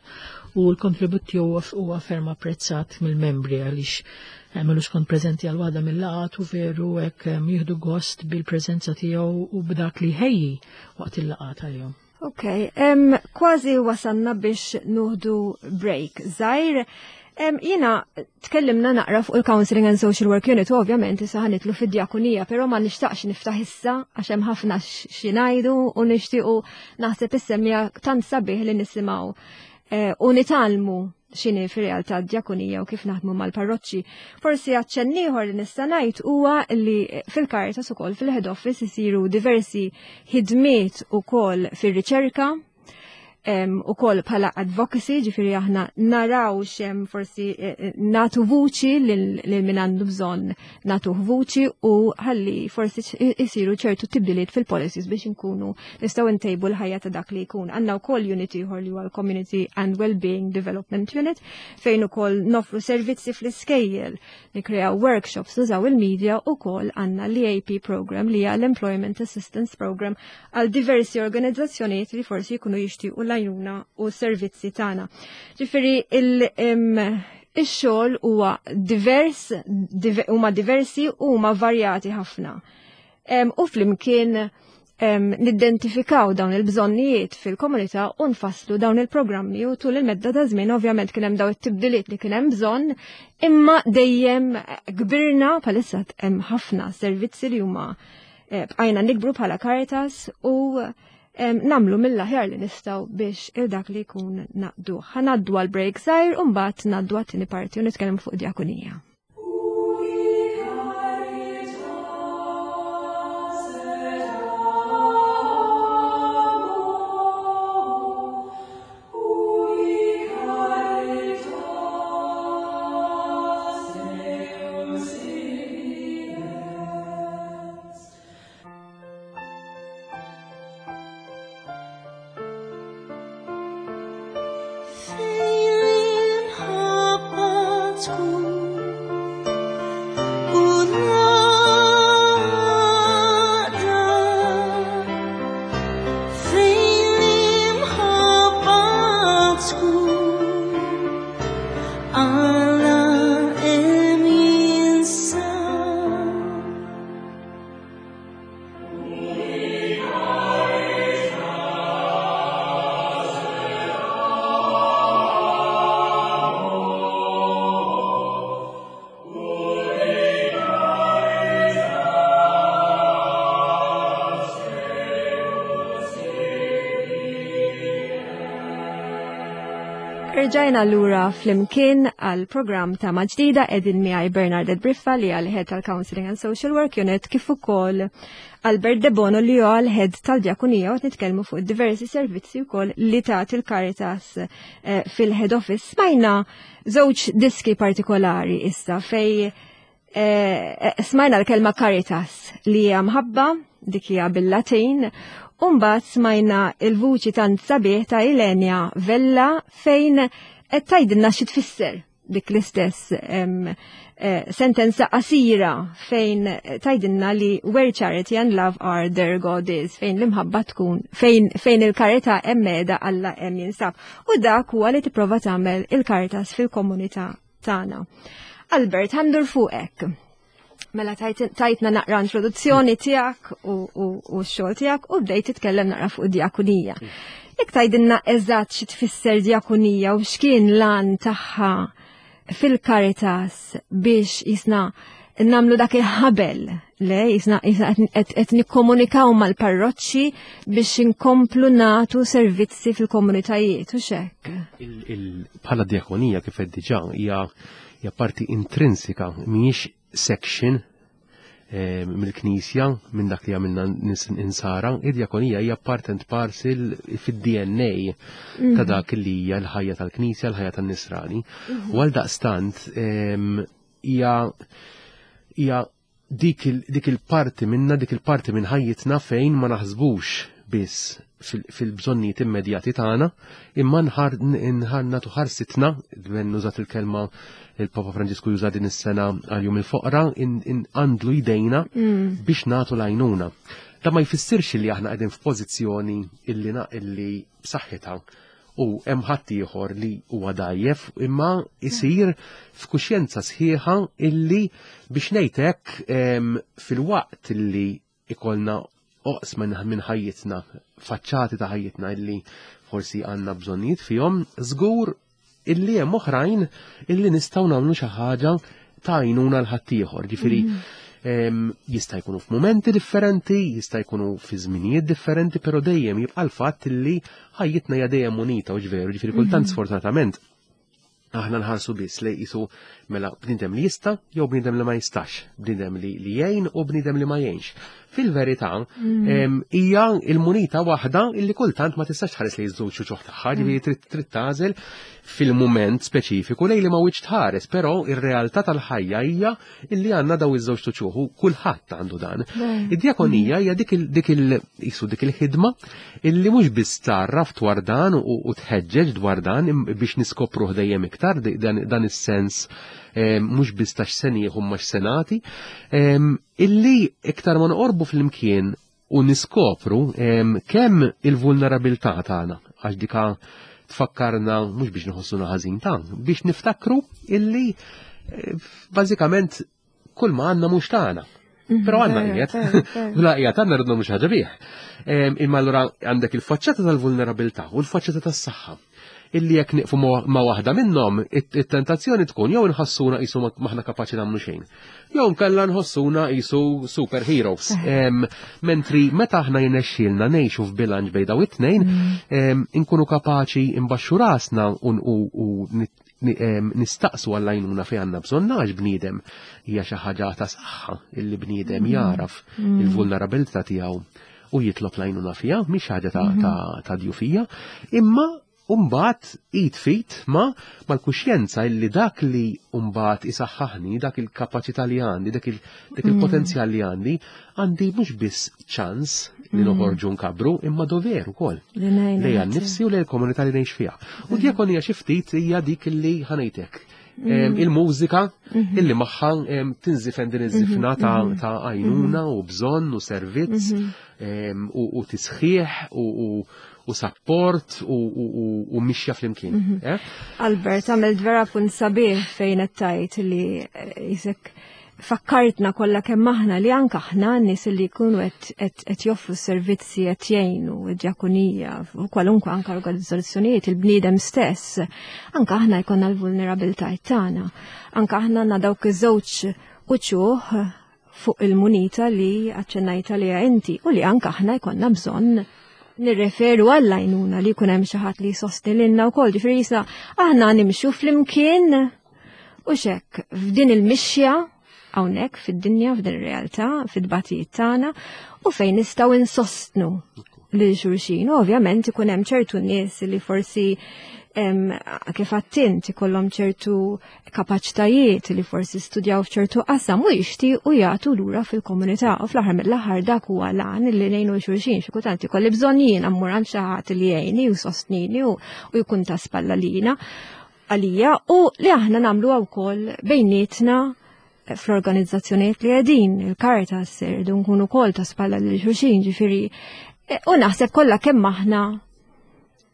u l-kontribut tiegħu huwa ferm apprezzat mill-membri għaliex għamilu skont preżenti għal waħda mill-laqgħat u veru hekk em, jieħdu gost bil-preżenza tiegħu u b'dak li ħejji waqt il-laqgħat għalihom. Ok, em, kważi wasanna biex nieħdu break. Żgħir, em, jiena tkellimna naqra fuq il-Counseling and Social Work Unit, u ovvjament issa ħa nidħlu fid-djakonija, però ma nixtaqx niftaħ issa għax hemm ħafna xi ngħidu u nixtiequ naħseb is-semja tant sabiħ li nisimgħu eh, u nitgħallmu x'inhi fir-realtà d-djakonija u kif naħdmu mal-parroċċi. Forsi aċċenn ieħor li nista' ngħid huwa li fil-Caritas ukoll fil-head office isiru diversi ħidmiet ukoll fir-riċerka, ukoll bħala advocacy, ġifieri aħna naraw xem forsi eh, eh, natu vuċi lil min għandu bżonn natu vuċi u ħalli forsi isiru ċertu tibdiliet fil-policies biex inkunu nistgħu ntejbu l-ħajja ta' dak li jkun. Għandna wkoll unit ieħor li huwa l-Community and Wellbeing Development Unit fejn ukoll nofru servizzi fl-iskejjel, nikreaw workshops, nużaw il-media u ukoll għandna l-E A P program li hija l-Employment Assistance Program għal diversi organizzazzjonijiet li forsi jkunu jixtiequ l-għajnuna u servizzi tagħna. Ġifieri il-xogħol huwa divers, huma diversi u huma varjati ħafna. U flimkien nidentifikaw dawn il-bżonnijiet fil-komunità u nfasslu dawn il-programmi u tul il-medda ta' żmien ovvjament kien hemm daw it-tibdiliet li kien hemm bżonn, imma dejjem kbirna, bħalissa hemm ħafna servizzi li huma eh, bqajna nikbru bħala Caritas u nagħmlu mill-aħjar li nistgħu biex il dak li jkun naqdu. Ħa ngħaddu għal break żgħir u mbagħad ngħaddu għat-tieni parti u nitkellem fuq djakonija. Fejn l-imħabba tkun u l-għaqda, fejn l-imħabba tkun, Alla hemm jinsab. Rġajna lura flimkien għal program ta' Maġdida, qegħdin miegħi Bernardet Briffa li għal head tal-Counseling and Social Work Unit kif ukoll Albert De Bono li huwa l-head tal-Djakonija u qed nitkellmu fuq diversi servizzi wkoll li tagħti il-Caritas eh, fil-head office. Smajna żewġ diski partikolari issa fej eh, smajna l-kelma Caritas li hija mħabba, dik hija bil-Latin, u mbagħad smajna il-vuċi tant sabiħ ta' Ilenia Vella fejn qed tgħidilna xi tfisser dik l-istess em, eh, sentenza qasira fejn tgħidilna li "where charity and love are, there God is", fejn l-imħabba tkun, fejn, fejn il-karità hemm qiegħda, Alla hemm jinsab. U dak huwa li tipprova tagħmel il-Caritas fil-komunità tagħna. Albert, ħa ndur fuqek. Mela tajt- tajtna naqra introduzzjoni tiegħek u, u, u x-xogħol tiegħek u bdejt titkellem naqra fuq djakonija. Jekk tgħidilna eżatt xi tfisser djakonija u x'kien l-għan tagħha fil-Caritas biex jisna nagħmlu dak il-ħabel, le jisna jisna qed qed nikkomunikaw mal-parroċċi biex inkomplu natu servizzi fil-komunitajiet u xek. Il- il- Bħala djakonija, kif qed diġà, hija hija parti intrinsika, mhijiex section eh, mill-Knisja, minn dak li għamilna nis- insara, id-djakonija hija part and parcel fid-D N A ta' dak li hija l-ħajja tal-Knisja, l-ħajja tan-Nisrani. U għal daqstant em, hija hija dik il- dik il-parti minna, dik il-parti minn ħajjitna fejn ma naħsbux biss fil- fil-bżonnijiet immedjati tagħna, imma nħar nħar nagħtu ħarsitna, dwen nużat il-kelma il-Papa Franġisku juża din is-sena għal jum il-foqra, għandlu jdejna biex nagħtu l-għajnuna. Da ma jfissirx li aħna qegħdin f'pożizzjoni illi na illi b'saħħitha u hemm ħadd ieħor li huwa dajjef, imma isir f'kuxjenza sħiħa illi biex ngħid hekk em, fil-waqt illi ikollna oqsma minn minn ħajjitna, faċċati ta' ħajjitna illi forsi għandna bżonnijiet fihom, żgur illi hemm oħrajn illi nistgħu nagħmlu xi ħaġa ta' għajnuna l ħaddieħor. Ġifieri Jista' jkunu f'mumenti differenti, jista' jkunu fi żminijiet differenti, però dejjem jibqa' l-fatt li ħajjitna hija dejjem munita u ġveru, ġifieri kultant mhm. sfortunatament aħna nħarsu biss li jisu mela bniedem li jista' jew bniedem li ma jistax, bniedem li, li jgħin u bniedem li ma jgħinx. Fil-verità, mm. hija il-munita waħda illi kultant ma tistax tħares li jiżżewġ uċuħ tagħha, ġifieri trid trid tagħżel fil-mument speċifiku lejn li ma wiċċ tħares, però ir-realtà tal-ħajja hija illi għandna daw iż-żewġ uċuħ u kulħadd għandu dan. Id-djakonija hija dik il jisu dik il-ħidma illi mhux biss tarraf dwar dan u tħeġġeġ dwar dan biex niskopruh dejjem iktar dan is-sens mhux biss ta' x'se nieħu ma x'se nagħti, illi iktar ma noqorbu flimkien u niskopru kemm il-vulnerabilità tagħna għax dika tfakkarna mhux biex nħossuna ħażin ta' biex niftakru illi eh, bażikament kull ma għandna mhux tagħna. Mhm, Però għandna qiegħed, la qiegħed għandna rridna mhux ħaġa bih. Imma allura għandek il-faċċata tal-vulnerabilità u l-faċċata tas-saħħa illi jekk nieqfu ma' waħda minnhom, it-tentazzjoni tkun jew inħossuna qisu maħna kapaċi nagħmlu xejn. Jew nkella nħossuna qisu superheroes. Eh. Mentri meta aħna jirnexxielna ngħixu f'bilanċ bejn daw it-tnejn, mm. inkunu kapaċi imbaxxu rasna u nistaqsu għall-għajnuna fejn għandna bżonn għax bniedem hija xi ħaġa ta' saħħa illi bniedem mm. jaraf mm. il-vulnerabilità tiegħu u jitlob l-għajnuna fiha, mhix ħaġa ta', mm-hmm. ta, ta djufija, imma Umbat id fit ma mal-kuxjenza illi dak li umbat isaħħaħni, dak il-kapacità li għandi, dak mm. il-potenzjal li għandi, għandi mhux biss ċans li mm. noħorġu nkabru, imma dover ukoll. Lejja nnifsi u lejn il-komunità li ngħix fiha. U mm. djakonija xi ftit hija dik li ħanejtek. Mm. Il-mużika mm-hmm. illi magħha tinżifen din iż-żifna mm-hmm. ta' mm-hmm. għajnuna u bżonn u servizz u tisħiħ u u support u mixja flimkien. Mhm. Eh? Albert, għamilt vera punt sabiħ fejn qed tgħid li eh, jisek fakkartna kollha kemm aħna li anke aħna n-nies li jkunu qed joffru servizzi qed jgħinu id-djakonija u kwalunkwe anke organizzazzjonijiet il-bniedem stess, anke aħna jkollna l-vulnerabilità tagħna. Anke aħna għandna dawk iż-żewġ uċuħ fuq il-munita li aċċennajta li inti u li anke aħna jkollna bżonn nirreferu għall-għajnuna li jkun hemm xi ħadd li jsostni lilna wkoll, ġifieri jisna aħna nimxu flimkien u xek f'din il-mixja hawnhekk fid-dinja, f'din ir-realtà, fid-batijiet tagħna u fejn nistgħu insostnu lil xulxin. U ovvjament ikun hemm ċertu nies li forsi kif għattint ikollhom ċertu kapaċitajiet li forsi studjaw f'ċertu qasam u jixtiequ jagħtu lura fil-komunità u fl-aħħar mill-aħħar dak huwa lan li ngħinu xulxin xi kultant ikolli bżonn jiena mmur għand xi ħadd li jgħinni u sostnini u jkun ta' spalla lina għalija u li aħna nagħmluha wkoll bejnietna fl-organizzazzjonijiet li qegħdin, il-Caritas irridu nkunu wkoll ta' spalla lil xulxin, ġifieri u naħseb kollha kemm aħna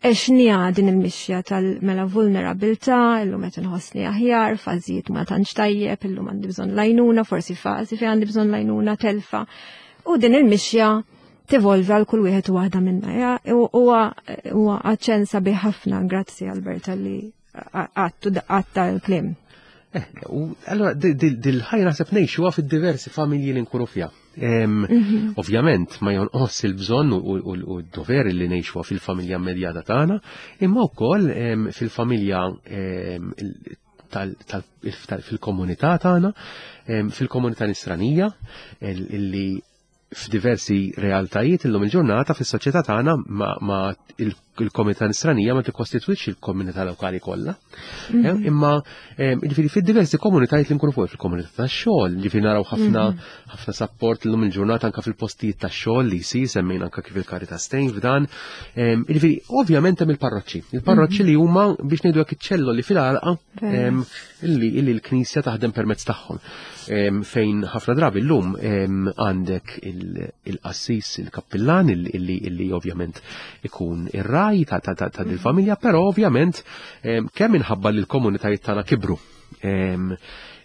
għexniha din il-mixja tal-mela vulnerabilità, illum qed inħossni aħjar, fażijiet ma tantx tajjeb, illum għandi bżonn lajnuna, forsi fażi fejn għandi bżonn lajnuna telfa. U din il-mixja tevolvi għal kull wieħed u waħda minna. Huwa huwa aċċenn sabiħ ħafna, grazzi Alberta li għattu għatta l-kliem. Eh, u allora dil-ħajja naħseb ngħixuha fid-diversi familji li nkunu fiha. Mhm. Ovvjament ma jonqos il-bżonn u d-dover li ngħixuha fil-familja immedjata tagħna, imma wkoll fil-familja fil-komunità tagħna, fil-komunità nisranija, illi f'diversi realtajiet illum il-ġurnata fis-soċjetà tagħna ma il-komunità nisranija ma tikkostitwix il-komunità lokali kollha. Mhm. Eh, imma eh, jiġifieri fid-diversi komunitajiet li nkunu fuq fil-komunità tax-xogħol, jiġifieri naraw ħafna mhm. ħafna sapport illum il-ġurnata anke fil-postijiet tax-xogħol li jsir semmejna anke kif il-Caritas tgħin f'dan. Eh, jiġifieri ovvjament hemm il-parroċċi. Il-parroċċi mhm. li huma biex ngħidu hekk iċ-ċelloli fil-għalqa illi l-Knisja taħdem permezz tagħhom. Fejn ħafna drabi llum għandek il-qassis, il-kappillan, illi ovvjament ikun ir-raj ta' dil-familja, però ovvjament kemm minħabba li l-komunitajiet tagħna kibru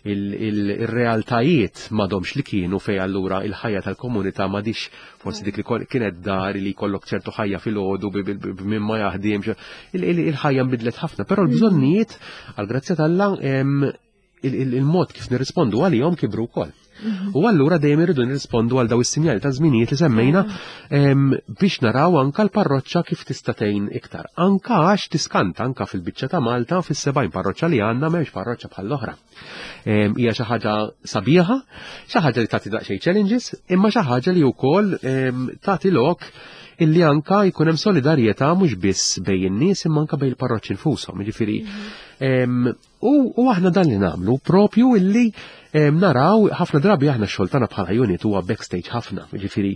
il-realtajiet m'għadhomx li kienu fej allura il-ħajja tal-komunità m'għadix forsi dik li kienet dar li jkollok ċertu ħajja fil-għodu minn ma jaħdimx. Il-ħajja nbidlet ħafna, però l-bżonnijiet għall-grazzja t'Alla il-mod kif nirrispondu għalihom kibru wkoll. U allura dejjem irridu nirrispondu għal daw is-sinjali ta' żminijiet li semmejna em, biex naraw anka l-parroċċa kif tista' tgħin iktar. Anka għax tiskanta anka fil-biċċa ta' Malta fis-sebgħin parroċċa li għandna m'hemmx parroċċa bħall-oħra. Em, Hija xi ħaġa sabiħa, xi ħaġa li tagħti daqsxejn challenges, imma xi ħaġa li wkoll em, tagħti lok illi anka jkun hemm solidarjetà mhux biss bejn in-nies imma anka bejn il-parroċċi nfushom. Jiġifieri em, u, u aħna dan li nagħmlu propju illi em, naraw ħafna drabi aħna x-xogħol tagħna bħala unit huwa backstage ħafna, jiġifieri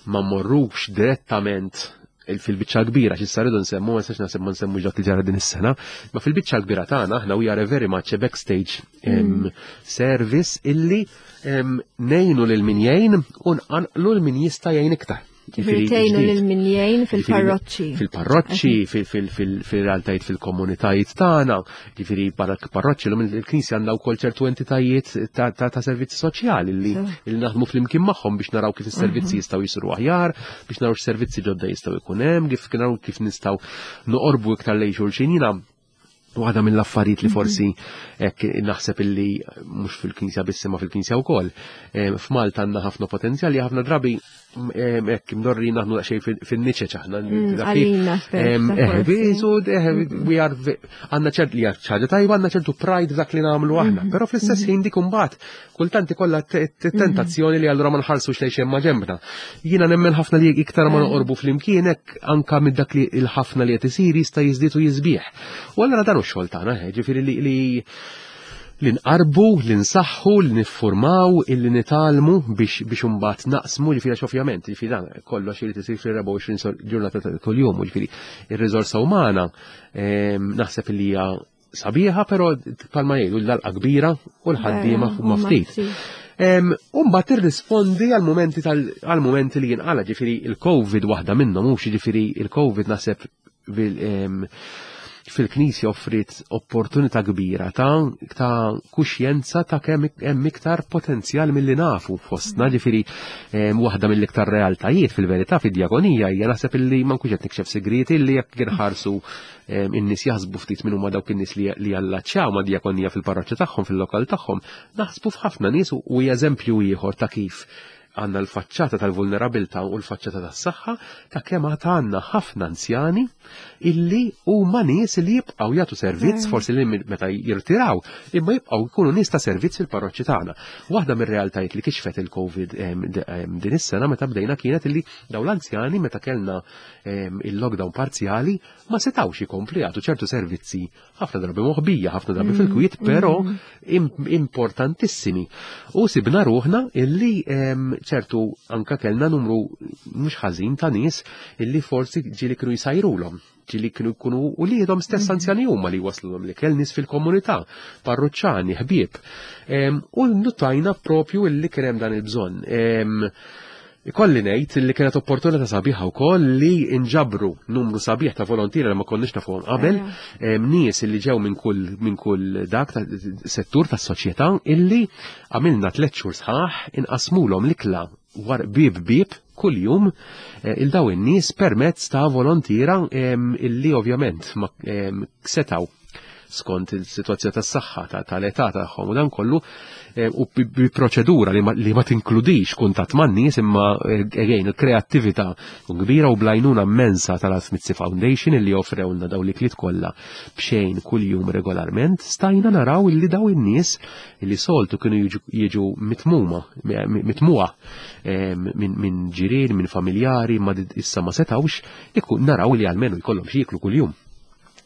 ma mmorrux direttament il- fil-biċċa kbira, xi rridu nsemmu, ma nistax naħseb ma nsemmu dak li ġara din is-sena, ma fil-biċċa kbira tagħna aħna we are a very much a backstage em, service illi em, ngħinu lil min jgħin u nqanqlu lil min jista' jgħin iktar. Ġifieri tgħinu lil min jgħin fil-parroċċi. Fil-parroċċi, fil-realtajiet fil-komunitajiet tagħna, ġifieri barra parroċċi l il-Knisja għandha wkoll ċertu entitajiet ta' ta' ta' servizzi soċjali li li naħdmu flimkien magħhom biex naraw kif is-servizzi jistgħu jisiru aħjar, biex naraw x'servizzi ġodda jistgħu jkun hemm, kif naraw kif nistgħu noqorbu iktar lejn xulxin. Jiena waħda mill-affarijiet li forsi hekk naħseb illi mhux fil-Knisja biss imma fil-Knisja wkoll. Em, F'Malta għandna ħafna potenzjali, ħafna drabi em, hekk imdorri naħdmu daqsxejn fin-niċeċ aħna. Mm, taf kif? Għalina stess, Em, ta' eh, forsi. bisu, eh, we are ve- għandna ċert li hija ħaġa tajba, għandna ċertu pride f'dak li nagħmlu aħna, però fl-istess ħin dik imbagħad kultant ikollha te- te- tentazzjoni li allura ma nħarsux lejn xejn ma ġembna. Jiena nemmen ħafna li iktar ma noqorbu flimkien hekk anka minn dak li il-ħafna li qed isir jista' jiżdied u jiżbieħ. U allura dan hu x-xogħol tagħna, eh, ġifieri li li li nqarbu, li nsaħħu, li niffurmaw, illi nitgħallmu biex biex imbagħad naqsmu, ġifieri għax ovvjament, ġifieri dan kollox irid isir fil-erbgħa u għoxrin sol- ġurnata ta' kuljum, ġifieri ir-riżorsa umana em, naħseb li hija sabiħa, però palma jgħidu l-għalqa kbira u l-ħaddiema Vera, huma huma ftit. ftit. Em, Umbat tirrispondi għal-momenti tal għal-momenti li jinqala, ġifieri il-Covid waħda minnhom, mhux ġifieri il-Covid naħseb bil- em, fil-Knisja offrit opportunità kbira ta' ta' kuxjenza ta' kemm hemm iktar potenzjal milli nafu fostna, ġifieri em, waħda mill-iktar realtajiet fil-verità fid-djakonija hija naħseb illi ma nkunx qed nikxef segreti illi jekk inħarsu em, in-nies jaħsbu ftit minn huma dawk in-nies li li jallaċċjaw ma' djakonija fil-parroċċa tagħhom, fil-lokal tagħhom, naħsbu f'ħafna nies u u hija eżempju ieħor ta' kif għandna l-faċċata tal-vulnerabilità u l-faċċata tas-saħħa ta' kemm għad għandna ħafna anzjani illi huma nies li jibqgħu jagħtu servizz forsi li meta jirtiraw, imma jibqgħu jkunu nies ta' servizz fil-parroċċi tagħna. Waħda mir-realtajiet li kixfet il-Covid em, d- em, din is-sena meta bdejna kienet illi dawn l-anzjani meta kellna em, il-lockdown parzjali ma setgħux ikomplu jagħtu ċertu servizzi ħafna drabi moħbija, ħafna drabi fil-kwiet, però im- importantissimi. U sibna ruħna illi em, ċertu anka kellna numru mhux ħażin ta' nies illi forsi ġieli kienu jsajrulhom, ġieli kienu jkunu u liedhom stess anzjani huma li waslulhom li kell nies fil-komunità, parruċċani, ħbieb. Em, U notajna propju illi kien hemm dan il-bżonn. Em, Ikolli ngħid li kienet opportunità sabiħa wkoll li inġabru numru sabiħ ta' volontiera li ma konniex nafuhom qabel, em, nies illi ġew minn kull minn kull dak ta' settur tas-soċjetà illi għamilna tliet xhur sħaħ inqasmulhom l-ikla war bib bib kull jum eh, il daw in-nies permezz ta' volontiera em, illi ovvjament ma em, setaw skont il-situazzjoni tas-saħħa ta' tal-età tagħhom u dan kollu eh, u bi bi proċedura li ma, li ma tinkludix kuntatt man-nies imma eh, again il-kreattività kbira u bl-għajnuna immensa tal-Alf Mizzi Foundation illi offrewlna daw l-ikliet kollha b'xejn kuljum regolarment, stajna naraw illi daw in-nies illi soltu kienu jiġu, jiġu mitmuma, mitmuha eh, minn min ġirien, minn familjari, ma issa ma setawx, ikun naraw li almenu jkollhom xi jieklu kuljum.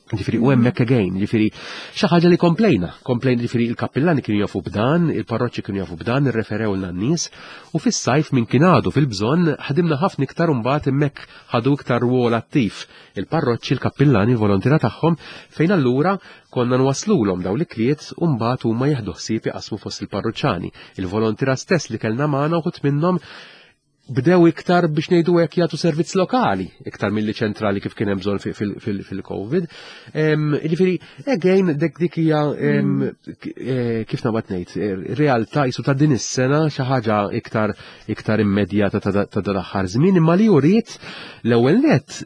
Ġifieri, u hemmhekk again, ġifieri, xi ħaġa li komplejna, komplejna ġifieri il-kappillani kienu jafu b'dan, il-parroċċi kienu jafu b'dan, irreferew n-nies, u fis-sajf minn kien għadu fil-bżonn ħadimna ħafna iktar mbagħad hemmhekk ħadu iktar rwol attiv il-parroċċi, il-kappillani, il-volontira tagħhom, fejn allura konna nwaslulhom daw l-ikliet u mbagħad huma jieħdu ħsieb jaqsmu fost il-parroċċani. Il-volontira stess li kellna magħna uħud minnhom bdew iktar biex ngħidu hekk jagħtu servizz lokali iktar milli ċentrali kif kien hemm bżonn fil-Covid. Ġifieri, again dik dik hija eh, kif nabad ngħid, eh, realtà jisu ta' din is-sena xi ħaġa iktar iktar immedjata ta' dan l-aħħar żmien, imma li uriet l-ewwel net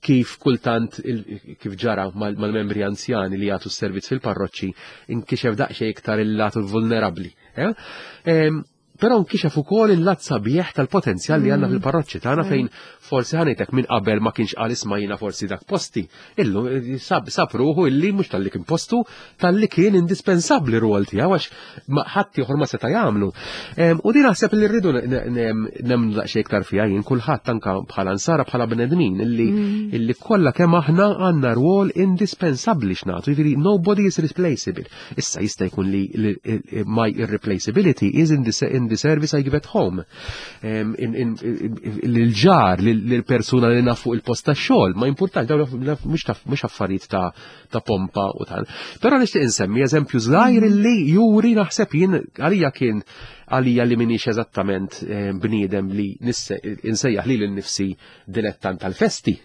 kif kultant kif ġara mal-membri anzjani li jagħtu s-servizz fil-parroċċi inkixef daqsxejn iktar il-latu vulnerabbli. Eh? Però nkixef ukoll il-lat sabiħ tal-potenzjal li għandna fil-parroċċi tagħna, fejn forsi ħanejtek minn qabel ma kienx qal, "Isma', jiena forsi dak posti." Illum eh, sab sab ruħu illi mhux talli kien postu, talli kien indispensabbli rwol tiegħu, għax ma ħadd ieħor ma seta' jagħmlu. Em, U din naħseb li rridu nemmnu daqsxejn iktar fiha jien, kulħadd, anka bħala nsara, bħala bnedmin, illi illi kollha kemm aħna għandna rwol indispensabbli x'nagħtu, jiġifieri nobody is replaceable. Issa jista' jkun li li- my irreplaceability is in the, in the service I give at home. Em, in- in- in- Lil-ġar, lil-persuna li naf fuq il-post ta' xogħol, ma importanx, dawn mhux ta' mhux affarijiet ta' ta' pompa u tal. Però nixtieq insemmi eżempju żgħir li juri, naħseb jien, għalija kien, għalija li minix eżattament eh, bniedem li nisse- insejjaħ li l-nifsi dilettant tal-festi.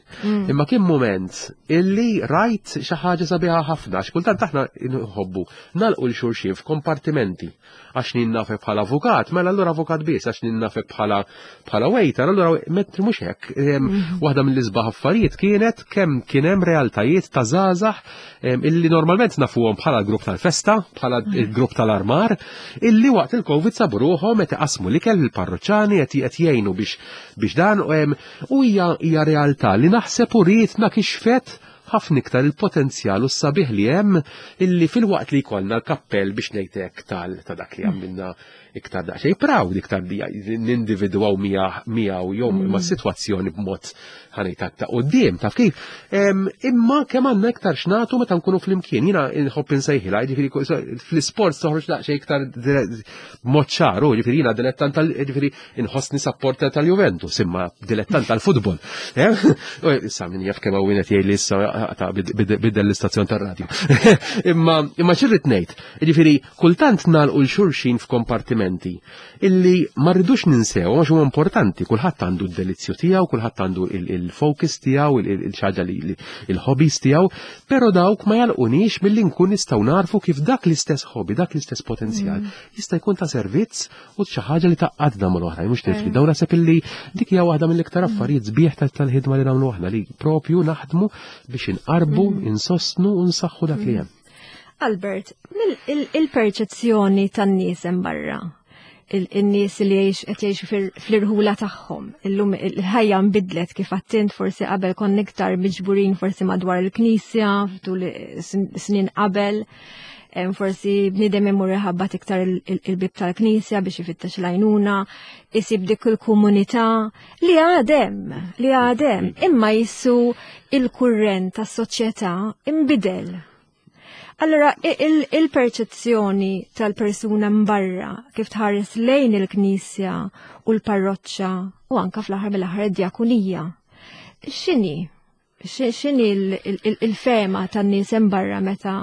Imma kien moment illi rajt xi ħaġa sabiħa ħafna, għax kultant aħna nħobbu nagħlqu 'l xulxin f'kompartimenti. Għax nafek bħala avukat, mela allura avukat biss, għax nafek bħala bħala waiter, allura mentri mhux hekk. Em, Waħda mill-isbaħ affarijiet kienet kemm kien hemm realtajiet ta' żgħażagħ em, illi normalment nafuhom bħala l-grupp tal-festa, bħala il-grupp tal-armar, illi waqt il-Covid sabu ruħhom qed iqasmu l-ikel il-parroċċani, qed qed jgħinu biex biex dan em, u hija hija realtà li naħseb urietna, kixfet ħafna iktar il-potenzjal u s-sabiħ li hemm, illi fil-waqt li jkollna l-kappell, biex ngħidlek, tal ta' dak li għamilna iktar daqsxejn proud, iktar li nindividwaw miegħu jew ma' sitwazzjoni b'mod ħanejtak ta' quddiem, taf kif. Em, Imma kemm għandna iktar x'nagħtu meta nkunu flimkien. Jiena nħobb insejħilha, jiġifieri fl-isport toħroġ daqsxejn iktar dire- b'mod ċaru, jiġifieri jiena dilettant tal jiġifieri inħossni supporter tal-Juventus, imma dilettant tal-futbol. Eh? U issa min jaf kemm hawn qed jgħid li issa ta' bid- biddel l-istazzjon tar-radju. Imma imma x'irrid ngħid, jiġifieri kultant nagħlqu 'l xulxin f'kompartimenti illi ma rridux ninsew għax huwa importanti, kulħadd għandu d-delizzju tiegħu, kulħadd għandu il-focus tiegħu, il-ħaġa li il-hobbies tiegħu, però dawk ma jagħlqunix milli nkun nistgħu narfu kif dak l-istess hobby, dak l-istess potenzjal jista' jkun ta' servizz u xi ħaġa li tgħaqqadna mal-oħrajn, mhux tifli. Dawn naħseb illi dik hija waħda mill-iktar affarijiet sbieħ tal-ħidma li nagħmlu aħna, li propju naħdmu biex inqarbu, insostnu u nsaħħu dak li hemm. Albert, il-perċezzjoni tan-nies hemm barra, il-nies li jgħix qed jgħixu fl-irħula tagħhom. Illum il-ħajja nbidlet, kif għedt int, forsi qabel konna iktar miġburin forsi madwar il-knisja tul snin qabel. Forsi bniedem imur iħabbat iktar il-bib tal-knisja biex ifittex l-għajnuna, isib dik il-komunità li għadha, li għadha, imma jissu il-kurrent tas-soċjetà imbidel. Allora, il-perċezzjoni tal-persuna mbarra kif tħares lejn il-knisja u l-parroċċa u anka fl-aħħar mill-aħħar id-djakunija. X'inhi? X'inhi il-fehma tan-nies barra meta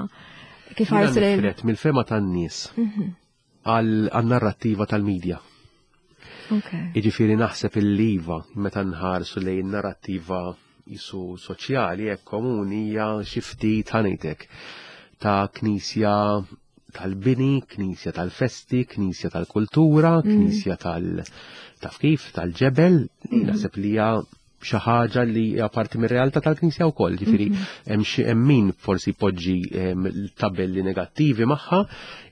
kif ħarsu lejn? Mill-fehma tan-nies mhm. għal-narrattiva tal-medja. Iġifieri naħseb il-liva meta nħarsu lejn narrattiva jisu soċjali hekk komuni hija xi ftit, ħa ngħidlek, ta' knisja tal-bini, knisja tal-festi, knisja tal-kultura, mm. knisja tal- taf kif, tal-ġebel, mm. naħseb li hija xi ħaġa li hija parti mir-realtà tal-Knisja wkoll, ġifieri mhm. hemm xi hemm min forsi poġġi tabelli negattivi magħha,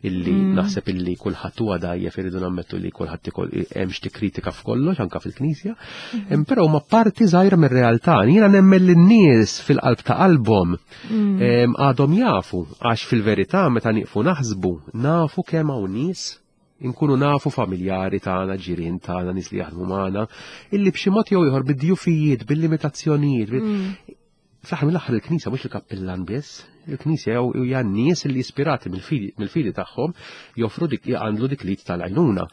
illi mm. naħseb illi kulħadd huwa dajjef, iridu nammettu li kulħadd hemm xi kritika f'kollox anke fil-Knisja, mhm. però huma parti żgħira mir-realtà. Jiena nemmen li n-nies fil-qalb ta' qalbhom mm. għadhom jafu, għax fil-verità meta nieqfu naħsbu nafu kemm hawn nies, inkunu nafu familjari tagħna, ġirien tagħna, nies li jaħdmu magħna, illi b'xi mod jew ieħor bid-djufijiet, bil-limitazzjonijiet, bil- Fl-aħħar mill-aħħar il-Knisja mhux il-kappillan biss, il-Knisja jew hija n-nies li ispirati mill-fidi mill-fidi tagħhom joffru dik, jgħandlu dik l-id tal-għajnuna.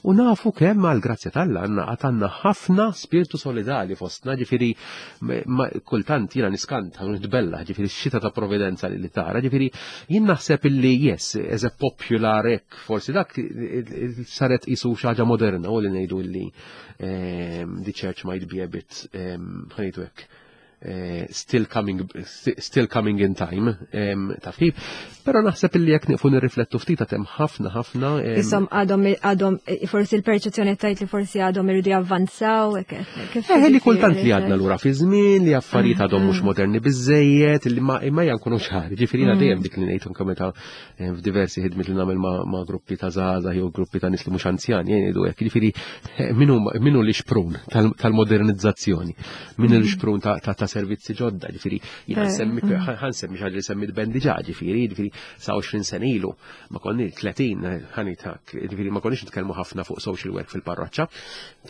U nafu kemm għal grazzja t'Alla għandna għad għandna ħafna spiritu solidali fostna, ġifieri ma- kultant jiena niskanta u nitbella, ġifieri x-xita ta' providenza li li tara, ġifieri jien naħseb illi yes, as a popular hekk, forsi dak saret isu xi ħaġa moderna u li ngħidu illi ehm, the church might be a bit, ehm, ħa ngħidu hekk, eh, still coming still coming in time, em, taf kif. Però naħseb illi jekk nieqfu nirriflettu ftit hemm ħafna ħafna em, Isom għadhom għadhom forsi il-perċezzjoni tajt li forsi għadhom iridu javvanzaw, kif Eh, li kultant li għadna lura fi żmien, li affarijiet għadhom mhux moderni biżejjed, li ma imma jankunu ċari. Ġifieri jiena dejjem dik li ngħid anke meta eh, f'diversi ħidmiet li nagħmel ma' ma' gruppi ta' żgħażagħ jew gruppi ta' nies li mhux anzjani, jien ngħidu hekk. Ġifieri eh, min hu min hu l-ixprun tal- tal-modernizzazzjoni, min hu l-ixprun ta' ta' ta' servizzi ġodda, ġifieri jiena Eh, nsemmi ħa nsemmi xi ħaġa li semmit Ben diġà, ġifieri, ġifieri sa għoxrin sena ilu, ma konni tletin, ħanitak, ġifieri ma konniex nitkellmu ħafna fuq social work fil-parroċċa.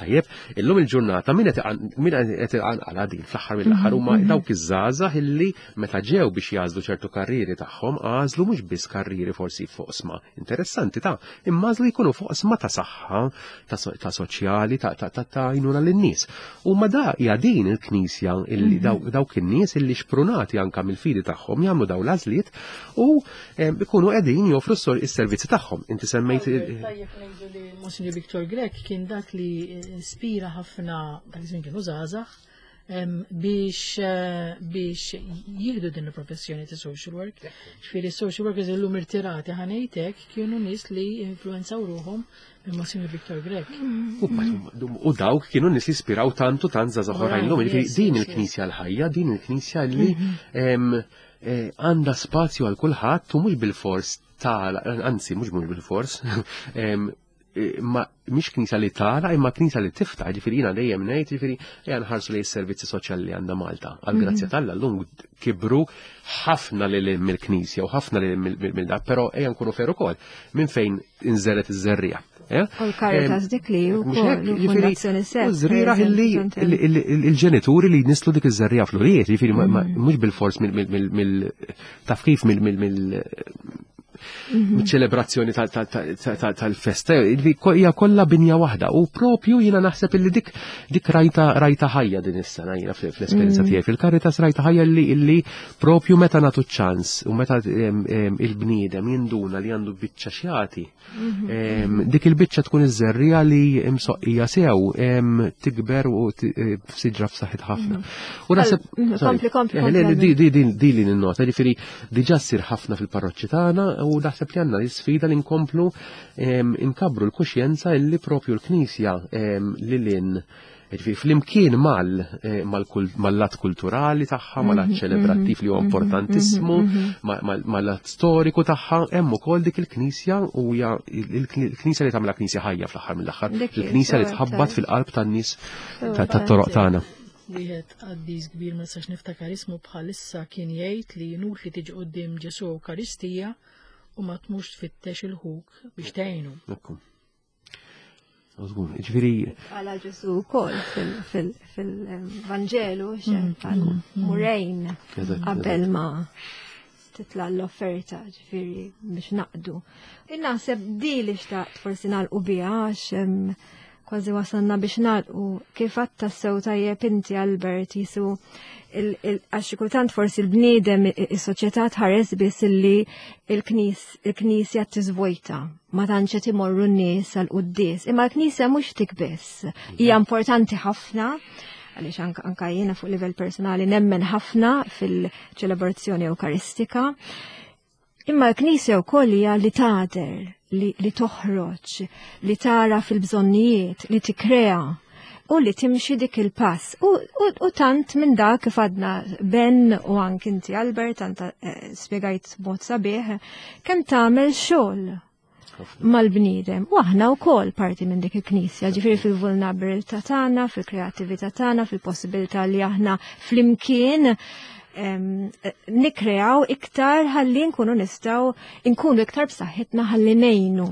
Tajjeb, illum il-ġurnata min qed iqan- min qed iqanqala din fl-aħħar mill-aħħar huma dawk iż-żgħażagħ illi meta ġew biex jagħżlu ċertu karrieri tagħhom għażlu mhux biss karrieri forsi fuq oqsma interessanti ta' imma għażlu jkunu fuq oqsma ta' saħħa, ta' so- ta' soċjali, ta' ta' ta' ta' għajnuna lin-nies. U ma da hija din il-Knisja illi daw- dawk in-nies illi xprunati anka mill-fidi tagħhom jagħmlu daw l-għażliet u em, ikunu qegħdin joffru s- is-servizzi tagħhom. Inti semmejt Tajjeb ngħidu li Monsignor Victor Grech kien dak li ispira ħafna dak iż-żmien kienu żgħażagħ em, biex eh, biex jieħdu din il-professjoni ta' social work. Ġifieri social workers illum irtirati ħa ngħidlek kienu nies li influenzaw ruħhom minn Monsignor Victor Grech. U u dawk kienu nies li ispiraw tantu tant żgħażagħ oħrajn llum. Ġifieri yes, din yes, il-Knisja l-ħajja, din il-Knisja li em, eh, għandha spazju għal kulħadd u mhux bil-fors tal, anzi mhux mhux bil-fors, em, eh, ma mhix knisja li tara imma knisja li tiftaħ, ġifieri jiena dejjem ngħid, ġifieri ejja nħarsu lejn is-servizzi soċjali li għandha Malta. Għal grazzja t'Alla llum kibru ħafna lil mill-knisja u ħafna lil mill dak, però ejja nkunu fair ukoll minn fejn inżeret iż-żerriegħa. eh? U l-Caritas dik li u Mhux hekk, kol, u ġifieri, fondazzjoni Sef. u żrieragħ illi il-ġenituri li jnisslu dik iż-żerriegħa fl-ulied, ġifieri ma- ma- mhux bil-fors mill mill mill taf kif mill mill mill ċelebrazzjoni tal-festa, hija kollha binja waħda u propju jiena naħseb illi dik dik rajta rajta ħajja din is-sena jiena fl-esperjenza tiegħi fil-Caritas rajta ħajja illi illi propju meta nagħtu ċans u meta em, em, il-bniedem jinduna li għandu biċċa xjati, em, dik il-biċċa tkun iż-żerriegħa li imsoqqija sew em, tikber u ti- eh, f'siġra f'saħħit ħafna. U naħseb Mm, sorry. kompli, kompli, Eh, kompli, le, di- di di di li ninnota, ġifieri diġà ssir ħafna fil-parroċċi tagħna u naħseb li għandna l-isfida li nkomplu em, inkabru l-kuxjenza illi propju l-Knisja em, li lin ġifieri flimkien mal eh, mal-kul- mal-lat kulturali tagħha, mal-lat ċelebrattiv li huwa importantissimu, ma- ma- mal-lat storiku tagħha, hemm ukoll dik il-Knisja u hija il-Knisja li tagħmilha Knisja ħajja fl-aħħar mill-aħħar, Dik hi, il-Knisja li sewa, tħabbat tajjeb. fil-qalb tan-nies Sewa, ta- tat-toroq tagħna. Wieħed qaddis kbir ma nistax niftakar ismu bħalissa kien jgħid li inutli tiġi quddiem Ġesu Ewkaristija u ma tmux tfittex il-ħuk biex tgħinu. Ekku. Żgur, ġifieri Għala Ġesu wkoll fil-Vanġelu, għal murejn Eżatt, qabel ma titla l-offerta ġifieri biex naqdu. Naħseb di li xtaqt forsi nagħlqu biha għax em, kważi wasalna biex nagħlqu kif għatta sew tajjeb inti Albert jisu il- il- għax xi kultant forsi l-bniedem is-soċjetà tħares biss illi il-knis il-knisja tiżvojta ma tantx qed imorru n-nies għal quddies. Imma l-knisja mhux tik biss. Hija importanti ħafna għaliex anka, anka jiena fuq livell personali nemmen ħafna fil-ċelebrazzjoni Ewkaristika. Imma l-Knisja wkoll hija li tagħder, li, li toħroġ, li tara fil-bżonnijiet, li tikkrea u li timxi dik il-pass. U, u, u tant minn dak kif għadna Ben u anki inti Albert, tant eh, spjegajt mod sabiħ, kemm tagħmel xogħol mal-bniedem. U aħna wkoll parti minn dik il-Knisja, ġifieri fil-vulnerabilità tagħna, fil-kreattività tagħna, fil-possibilità li aħna flimkien em, eh, nikreaw iktar ħalli nkunu nistgħu nkunu iktar b'saħħitna ħalli ngħinu.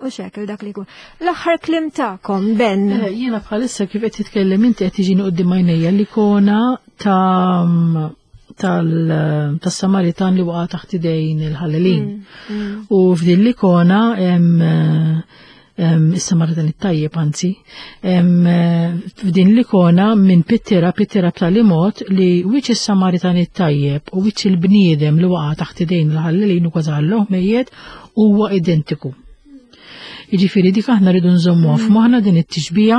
U xekil dak li jkun. L-aħħar kliem tagħkom, Ben. Eh, Jiena bħalissa kif qed titkellem inti qed tiġini quddiem għajnejja l-ikona ta' tal tas-Samaritan li waqa' taħt idejn il-ħallelin. U f'din l-ikona hemm eh, is-Samaritan it-tajjeb anzi, hemm, eh, f'din l-ikona minn pittira pittira b'tali mod li wiċċ is-Samaritan it-tajjeb u wiċċ il-bniedem li waqa' taħt idejn il-ħallelin u kważi ħalluh mejjet huwa identiku. Jiġifieri dik aħna rridu nżommuha f'moħħna din it-tixbija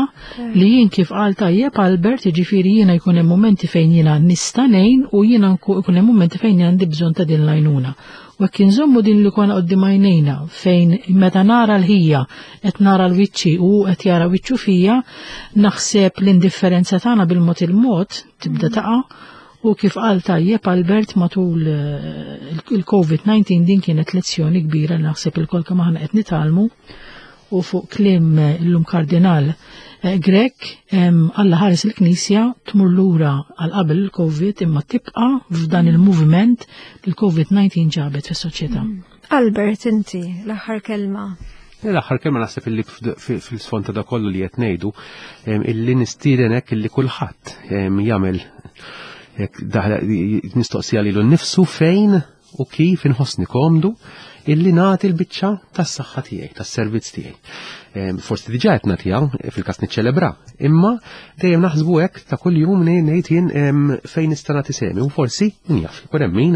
li jien kif qal tajjeb Albert, jiġifieri jiena jkun hemm mumenti fejn jiena nista' ngħin u jiena jkun hemm mumenti fejn għandi bżonn ta' din l-għajnuna. U jekk inżommu din li konna quddiem għajnejna fejn meta nara l-ħija qed nara l-wiċċi u qed jara wiċċu fija, naħseb l-indifferenza tagħna bil-mod il-mod tibda taqa'. U kif qal tajjeb Albert matul il-Covid disa din kienet lezzjoni kbira li naħseb il-kol kemm aħna qed nitgħallmu u fuq kliem illum Kardinal Grech, Alla ħares il-Knisja tmur lura għal qabel il-Covid imma tibqa' f'dan il-moviment li l-Covid disa ġabet fis-soċjetà. Albert, inti l-aħħar kelma. L-aħħar kelma naħseb illi fil-sfond ta' da kollu li qed ngħidu illi nistieden hekk illi kulħadd jagħmel mistoqsija lilu nnifsu fejn u kif inħossni komdu illi nagħti l-biċċa tas-saħħa tiegħi, tas-servizz tiegħi. Forsi diġà qed nagħtiha fil-każ niċċelebra, imma dejjem naħsbu hekk ta' kuljum ngħid jien fejn nista' nagħti sehmi u forsi min jaf ikun hemm min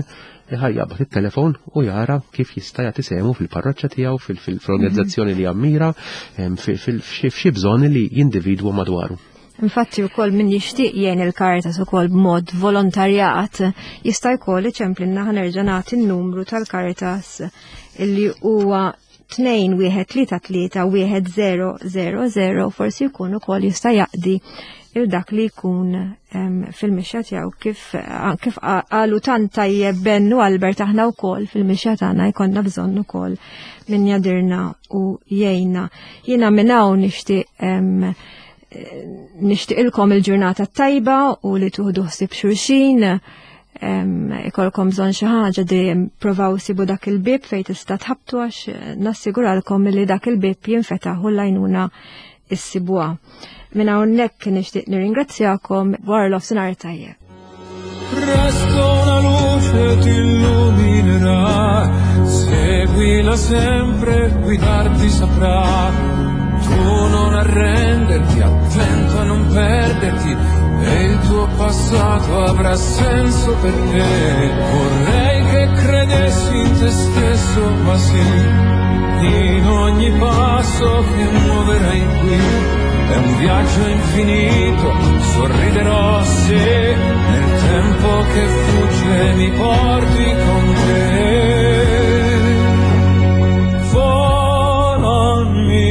ħajjabad it-telefon u jara kif jista' jagħti sehmu fil-parroċċa tiegħu, fil-organizzazzjoni li jammira, f'xi bżonn li jindividwu madwaru. Infatti wkoll min jixtieq jgħin il-Caritas ukoll b'mod volontarjat jista' jkoll iċemplinna ħa nerġa' nagħti n-numru tal-Caritas illi huwa tnejn wieħed tlieta tlieta wieħed zero zero zero, forsi jkun ukoll jista' jaqdi il dak li jkun fil-mixja tiegħu kif, kif qalu tant tajjeb Ben u Albert aħna wkoll fil-mixja tagħna jkollna bżonn ukoll min jadirna u jgħinna. Jiena minn hawn nixtieq nixtieqilkom il-ġurnata tajba u li tuħdu ħsieb xulxin, ikolkom bżonn xi ħaġa dejjem provaw sibu dak il-bib fejn tista' tħabtu għax nassiguralkom li dak il-bib jinfetaħ u l-għajnuna issibuha. Minn hawnhekk nixtieq nirringrazzjakom wara l-ofsinhar tajjeb. Presto una luce ti illuminerà, seguila sempre, guidarti saprà. Tu non arrenderti, attento a non perderti, e il tuo passato avrà senso per te. Vorrei che credessi in te stesso, ma sì, in ogni passo che muoverai qui. È un viaggio infinito, sorriderò se nel tempo che fugge mi porti con te. Volami,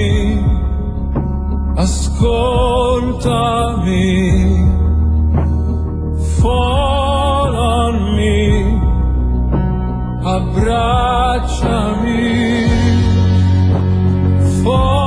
ascoltami, volami, abbracciami, volami.